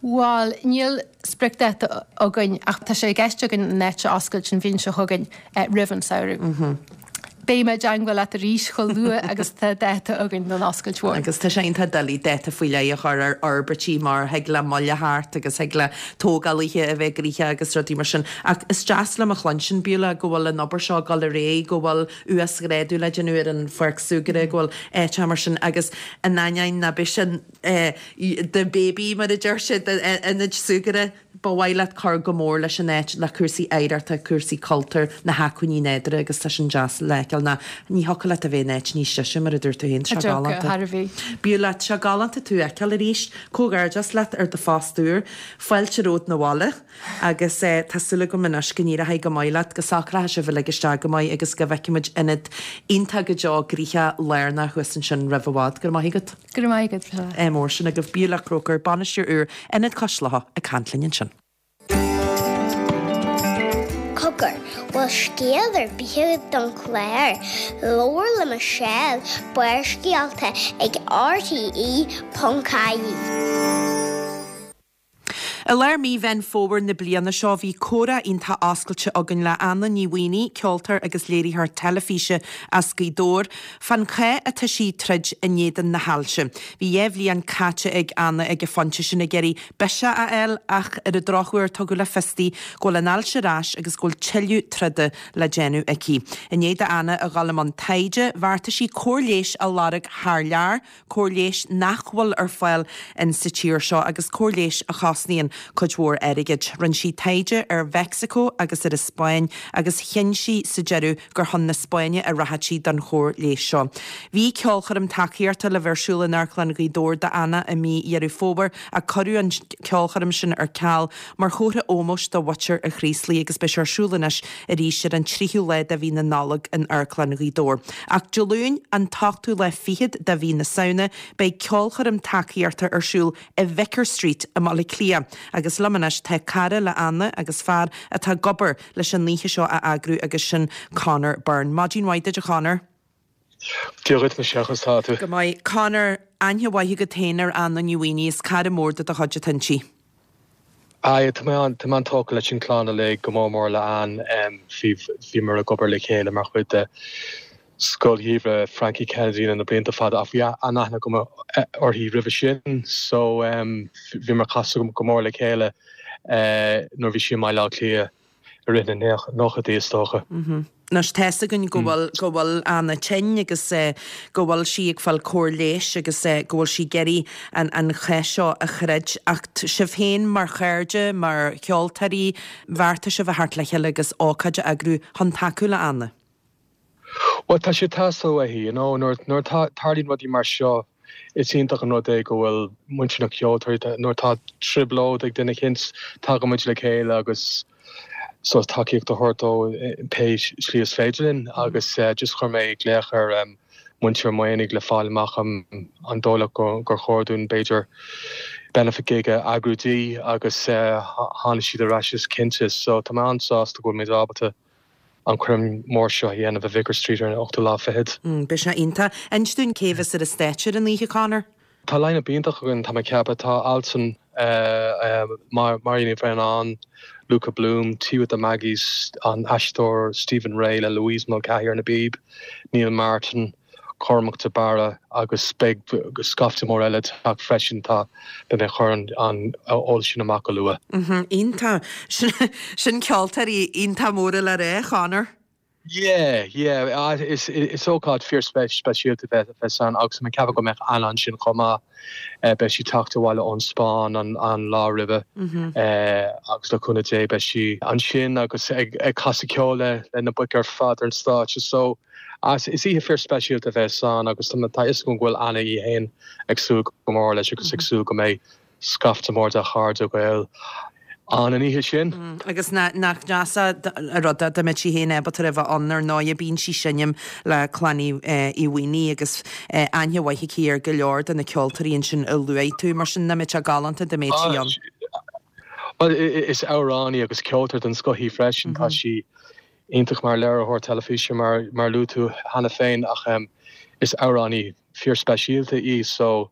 Bhuel, níl spriocdháta againn ach tá sé i gceist againn an áit a oscailt an bhliain seo chugainn roimh an samhradh. Beidh mé i dteangmháil leat arís chomh luath agus atá dáta againn don oscailt mhór. Agus tá sé iontach doiligh dáta faoi leith a chur ar fhorbairtí mar thig le moill a theacht agus thig le tógálaithe a bheith gnoitheach agus rudaí mar sin. Ach is deas liom a chluinstin, Beulah, go bhfuil an obair seo ag dul ar aghaidh, go bhfuil uasghrádú le déanamh ar an pháirc súgartha, go bhfuil áiteacha mar sin agus in ainneoin ná beidh sin the baby mar a deir siad, ionad súgartha, ba mhaith leat cur go mór leis an áit le cúrsaí oidhreachta, cúrsaí cultúir, na hacmhainní nádúrtha agus tá sin deas le feiceáil ná ní thiocfadh leat a bheith in áit níos deise mar a dúirt tú féin, tá sé galánta. Beulah, tá sé galánta tú a fheiceáil arís. Comhghairdeas leat ar do phost úr. Fáilte romhat 'na bhaile. Agus tá súil agam anois go n-éireoidh go maith leat, go socróidh sibh uilig isteach go maith agus go bhfeicfidh muid ionad iontach go deo gnoitheach lárnach thuas ansin roimh i bhfad. Go raibh maith agat. Go raibh maith agat, Michelle. Ádh mór sin agaibh. Beulah Croker, bainisteoir úr Ionad Cois Locha ag caint linn ansin. Cogar, bhfuil scéal ar bith agat don chlár? Labhair le Michelle, Barrscéalta ag rte ponc ie. I lár mí Mheán Fómhair na bliana seo bhí comhrá iontach oscailte againn le Anna Ní Mhaonaigh, ceoltóir agus léiritheoir teilifíse as Gaoth Dobhair, fán chath atá sí ag troid in éadan na hailse. Bhí dhá bhliain caite ag Anna ag an phointe sin ag iarraidh biseach a fháil ach ar an drochuair tugadh le fios di go bhfuil an ailse ar ais agus go bhfuil tuilleadh troda le déanamh aici. I ndiaidh d'Anna a dhul i mbun taighde, bheartaigh sí cóir leighis a lorg thar lear, cóir leighis nach bhfuil ar fáil in sa tír seo agus cóir leighis a chosnaíonn cuid mhór airgid. Rinne sí taighde ar Mheicsiceo agus ar an Spáinn agus chinn sí sa deireadh gur chun na Spáinne a rachadh sí don chóir leighis seo. Bhí ceolchoirm tacaíochta le bheith ar siúl in Amharclann Ghaoth Dobhair d'Anna i mí Dheireadh Fómhair ach cuireadh an ceolchoirm sin ar ceal mar chomhartha ómóis do mhuintir an Chraoslaigh agus beidh sé ar siúl anois arís ar an tríú lá de mhí na Nollag in Amharclann Ghaoth Dobhair. Ach Dé Luain, an t-ochtú lá fichead de mhí na Samhna, beidh ceolchoirm tacaíochta ar siúl i Vicar Street i mBaile Átha Cliath agus liom anois tá cara le Anna agus fear atá ag obair leis an oíche seo a eagrú agus sin Conor Byrne. Maidin mhaith duit a Chonor. Dia dhuit Michelle, conas tá tú? Go maith. Conor, aithne mhaith agat féin ar Anna Ní Mhaonaigh, is cara mór de do chuid atá inti. Aye, tá mé an, tá mé an-tógtha leis an chlann uilig, go mór mór le Ann. Bhí, bhíomar ag obair le chéile mar chuid de Scoil Gheimhridh Frankie Kennedy na blianta fada ach bhí an-aithne agam uirthi roimhe sin so bhíomar ag casadh go mór le chéile nuair a bhí sí i mBaile Átha Cliath i rith na nóchaidí is dócha. Anois tá's againn go bhfuil go bhfuil Anna tinn agus go bhfuil sí ag fáil cóir leighis agus go bhfuil sí ag iarraidh an an chath seo a throid ach sibh féin mar chairde, mar cheoltóirí, bheartaigh sibh a theacht le chéile agus ócáid a eagrú chun tacú le Anna. Bhuel tá sé ag teastáil uaithi, you know, nuair nuair atá tarlaíonn rudaí mar seo is iontach an rud é go bhfuil muintir na ceoltóirí nuair atá trioblóid ag duine eicínt tagann muid le chéile agus so tacaíocht a thabhairt dó pé slí is féidir linn agus just chuir mé glaoch ar muintir an Mhaonaigh le fáil amach an dóigh leo gur chóir dúinn b'fhéidir benefit gig a eagrú di agus tháinig siad ar ais is cinnte so tá mé an-sásta go bhfuil muid ábalta an choirm mór seo a dhéanamh i Vicar Street ar an ochtú lá fichead. Beidh sé iontach. Inis dúinn cé bheas ar an stáitse ar an oíche, Conor? Tá line-up iontach againn, tá mé ag ceapadh. Tá Altan, Máirín Ní Bhraonáin, Luca Bloom, Tea with the Maggies, an aisteoir Stephen Rea le Louise Mulcahy ar na bpíob, Neil Martin, Cormac de Barra agus beidh scaifte mór eile ag teacht freisin, tá, beidh mé ag cur an eolas sin amach go luath. Iontach. Sin ceoltóirí iontach móra le rá, Conor. Yeah, yeah, is is ócáid fíor speisialta a bheas ann agus tá mé ag ceapadh go mbeidh Anna ansin chomh maith. Beidh sí ag teacht abhaile ón Spáinn an an lá roimhe agus le cúnamh Dé beidh sí ansin agus ag ag casadh ceoil le le na boic ar fad ar an stáitse so is oíche fíor speisialta a bheas ann agus tá tá fhios agam go bhfuil Anna í fhéin ag súil go mór leis agus ag súil go mbeidh scaifte mór de chairde Gael ann an oíche sin. Agus nach deas an rud é dá mbeadh sí féin ábalta a bheith ann ar ndóigh bíonn sí ag seinm le Clann Uí Mhaonaigh agus aithne mhaith aici ar go leor de na ceoltóirí ansin a luaigh tú, mar sin nach mbeadh sé galánta dá mbeadh sí ann. Bhuel, is amhránaí agus ceoltóir den scoth í freisin, tá sí iontach mar léiritheoir teilifíse mar mar luaigh tú cheana féin ach is amhránaí fíorspeisialta í so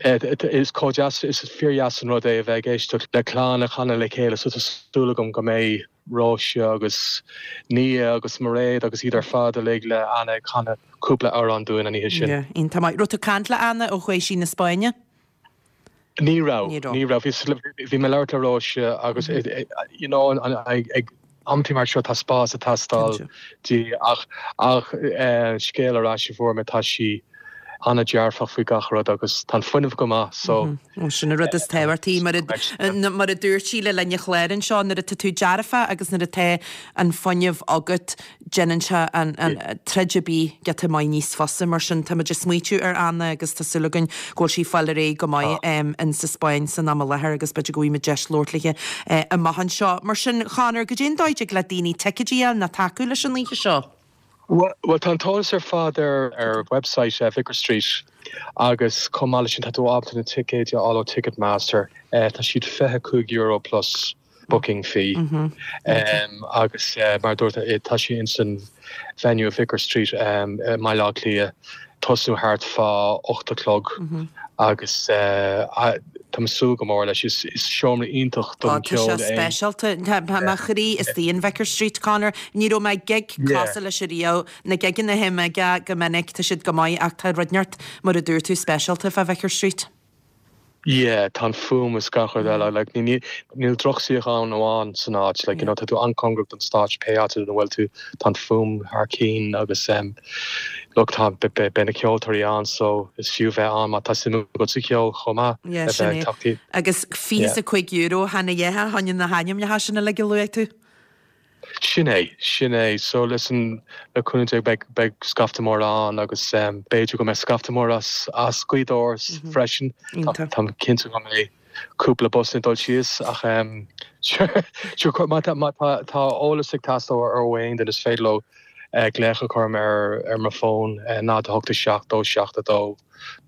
is chomh deas, is fíordheas an rud é a bheith ag éisteacht le clann ag canadh le chéile so tá súil agam go mbeidh Róise agus Nia agus Mairéad agus iad ar fad uilig le Anna ag canadh cúpla amhrán dúinn an oíche sin. Yeah, iontach maith. Raibh tú ag caint le Anna ó chuaigh sí na Spáinne? Ní raibh, ní raibh. Bhí mé ag labhairt le Róise agus you know ag amantaí mar seo tá spás ag teastáil di ach ach scéal ar ais a fuair mé tá sí an-dearfach faoi gach rud agus tá an fuinneamh go maith so. Sin an rud is tábhachtaí mar a mar a dúirt sí le linn an chláir anseo nuair atá tú dearfach agus nuair atá an fuinneamh agat déanann sé an troid ar bith giota maith níos fusa. Mar sin, táimid ag smaoitiú ar Anna agus tá súil againn go bhfuil sí ag fáil ar aghaidh go maith in sa Spáinn san am i láthair agus b'fhéidir go bhfaighimid deis labhairt léi amach anseo. Mar sin, Chonor, goidé an dóigh a dtig le daoine ticéidí a fháil nó tacú leis an oíche seo? Bhuel, tá an t-eolas ar fad ar ar website Vicar Street agus chomh maith leis sin tá tú ábalta na ticéid a fháil ó Ticketmaster. Tá siad fiche cúig euro plus. booking fee agus mar a dúirt tá sé ins an venue Vicar Street i mBaile Átha Cliath tosnú thart fá ocht a chlog agus tá mé ag súil go mór leis. Is seomra iontach don cheol é. Tá sé speisialta. Tá mo chroí istigh in Vicar Street, Conor. Ní raibh mé ag gig cosúil leis ariamh. Na gigeanna a théim aige go minic, tá siad go maith ach tá rud inteacht, mar a dúirt tú, speisialta fá Vicar Street. Yeah, tá an fuaim is gach rud eile, like ní níl drochshuíochán amháin san áit, like you know tá tú an-cóngarach don stáitse pé áit ina bhfuil tú, tá an fuaim thar cinn agus em look tá beidh na ceoltóirí ann so is fiú bheith ann má tá suim agat sa cheol chomh maith Yeah, sin é. Agus fiche is a cúig euro, chan a dhath fá choinne na hainmneacha sin uilig a luaigh tú. Sin é, sin é. So listen, le cúnamh Dé beidh, beidh scaifte mór ann agus b'fhéidir go mbeidh scaifte mór as, as Gaoth Dobhair freisin. Táim cinnte go mbeidh cúpla bus ag dul síos ach sure, sure, má tá, má tá, tá eolas ag teastáil ó aon duine is féidir leo glaoch a chur orm ar, ar mo fón, náid a hocht a seacht, dó seacht a dó.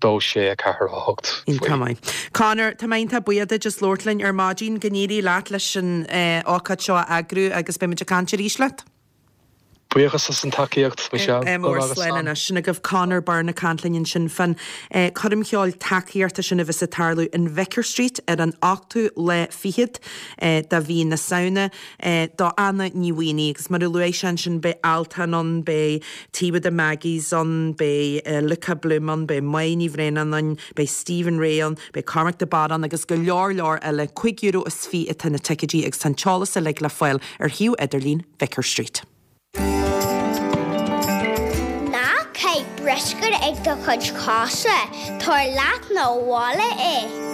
dó sé a ceathair a hocht faoi. Iontach maith. Conor, tá mé iontach buíoch duit as labhairt linn ar maidin. Go n-éirí leat leis an ócáid seo a eagrú agus beimid ag caint arís leat. Buíochas as an tacaíocht, Michelle. Ádh mór, slán anois. Sin agaibh Conor Byrne ag caint linn ansin fán choirm cheoil tacaíochta sin a bheas ag tarlú in Vicar Street ar an ochtú lá fichead de mhí na Samhna do Anna Ní Mhaonaigh. Agus mar a luaigh sé ansin beidh Altan ann, beidh Tea with the Maggies ann, beidh Luca Bloom ann, beidh Máire Ní Bhraonáin ann, beidh Stephen Rea ann, beidh Cormac de Barra ann agus go leor leor eile. Cúig euro is fiche atá na ticéidí agus tá an t-eolas uilig le fáil ar shuíomh idirlín Vicar Street. Ná caith bruscar ag do chuid cosa, tabhair leat 'na bhaile é.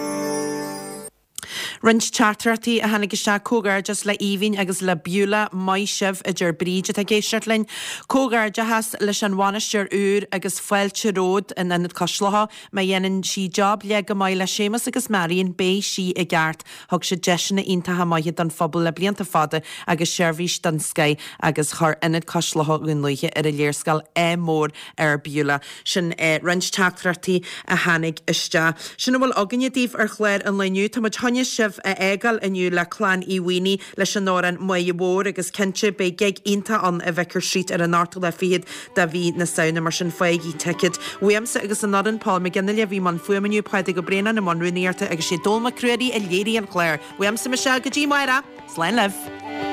Roinnt teachtaireachtaí a tháinig isteach, Comhghairdeas le Aoibhinn agus le Beulah, maith sibh, a deir Bríd atá ag éisteacht linn. Comhghairdeachas leis an bhainisteoir úr agus fáilte romhat in Ionad Cois Locha. Má dhéanann sí job leath go maith le Séamus agus Marion beidh sí i gceart. Thug siad deiseanna iontacha maithe don phobal le blianta fada agus seirbhís den scoith agus chuir Ionad Cois Locha Dhún Lúiche ar an léarscáil ádh mór ar Beulah. Sin roinnt teachtaireachtaí a tháinig isteach. Sin a bhfuil againne daoibh ar chlár an lae inniu. Tá muid chun sibh a fhágáil inniu le Clann Uí Mhaonaigh leis an amhrán Máire Mhór agus cinnte beidh gig iontach ann i Vicar Street ar an ochtú lá fichead de mhí na Samhna mar sin faighigí ticéad. Uaimse agus an fhoireann, Paul McGinley a bhí i mbun fuaime inniu, Pádraig Ó Braonáin i mbun rúnaíochta agus sé Dónall Mac Ruairí a léirigh an clár. Uaimse Michelle go dtí amárach. Slán libh.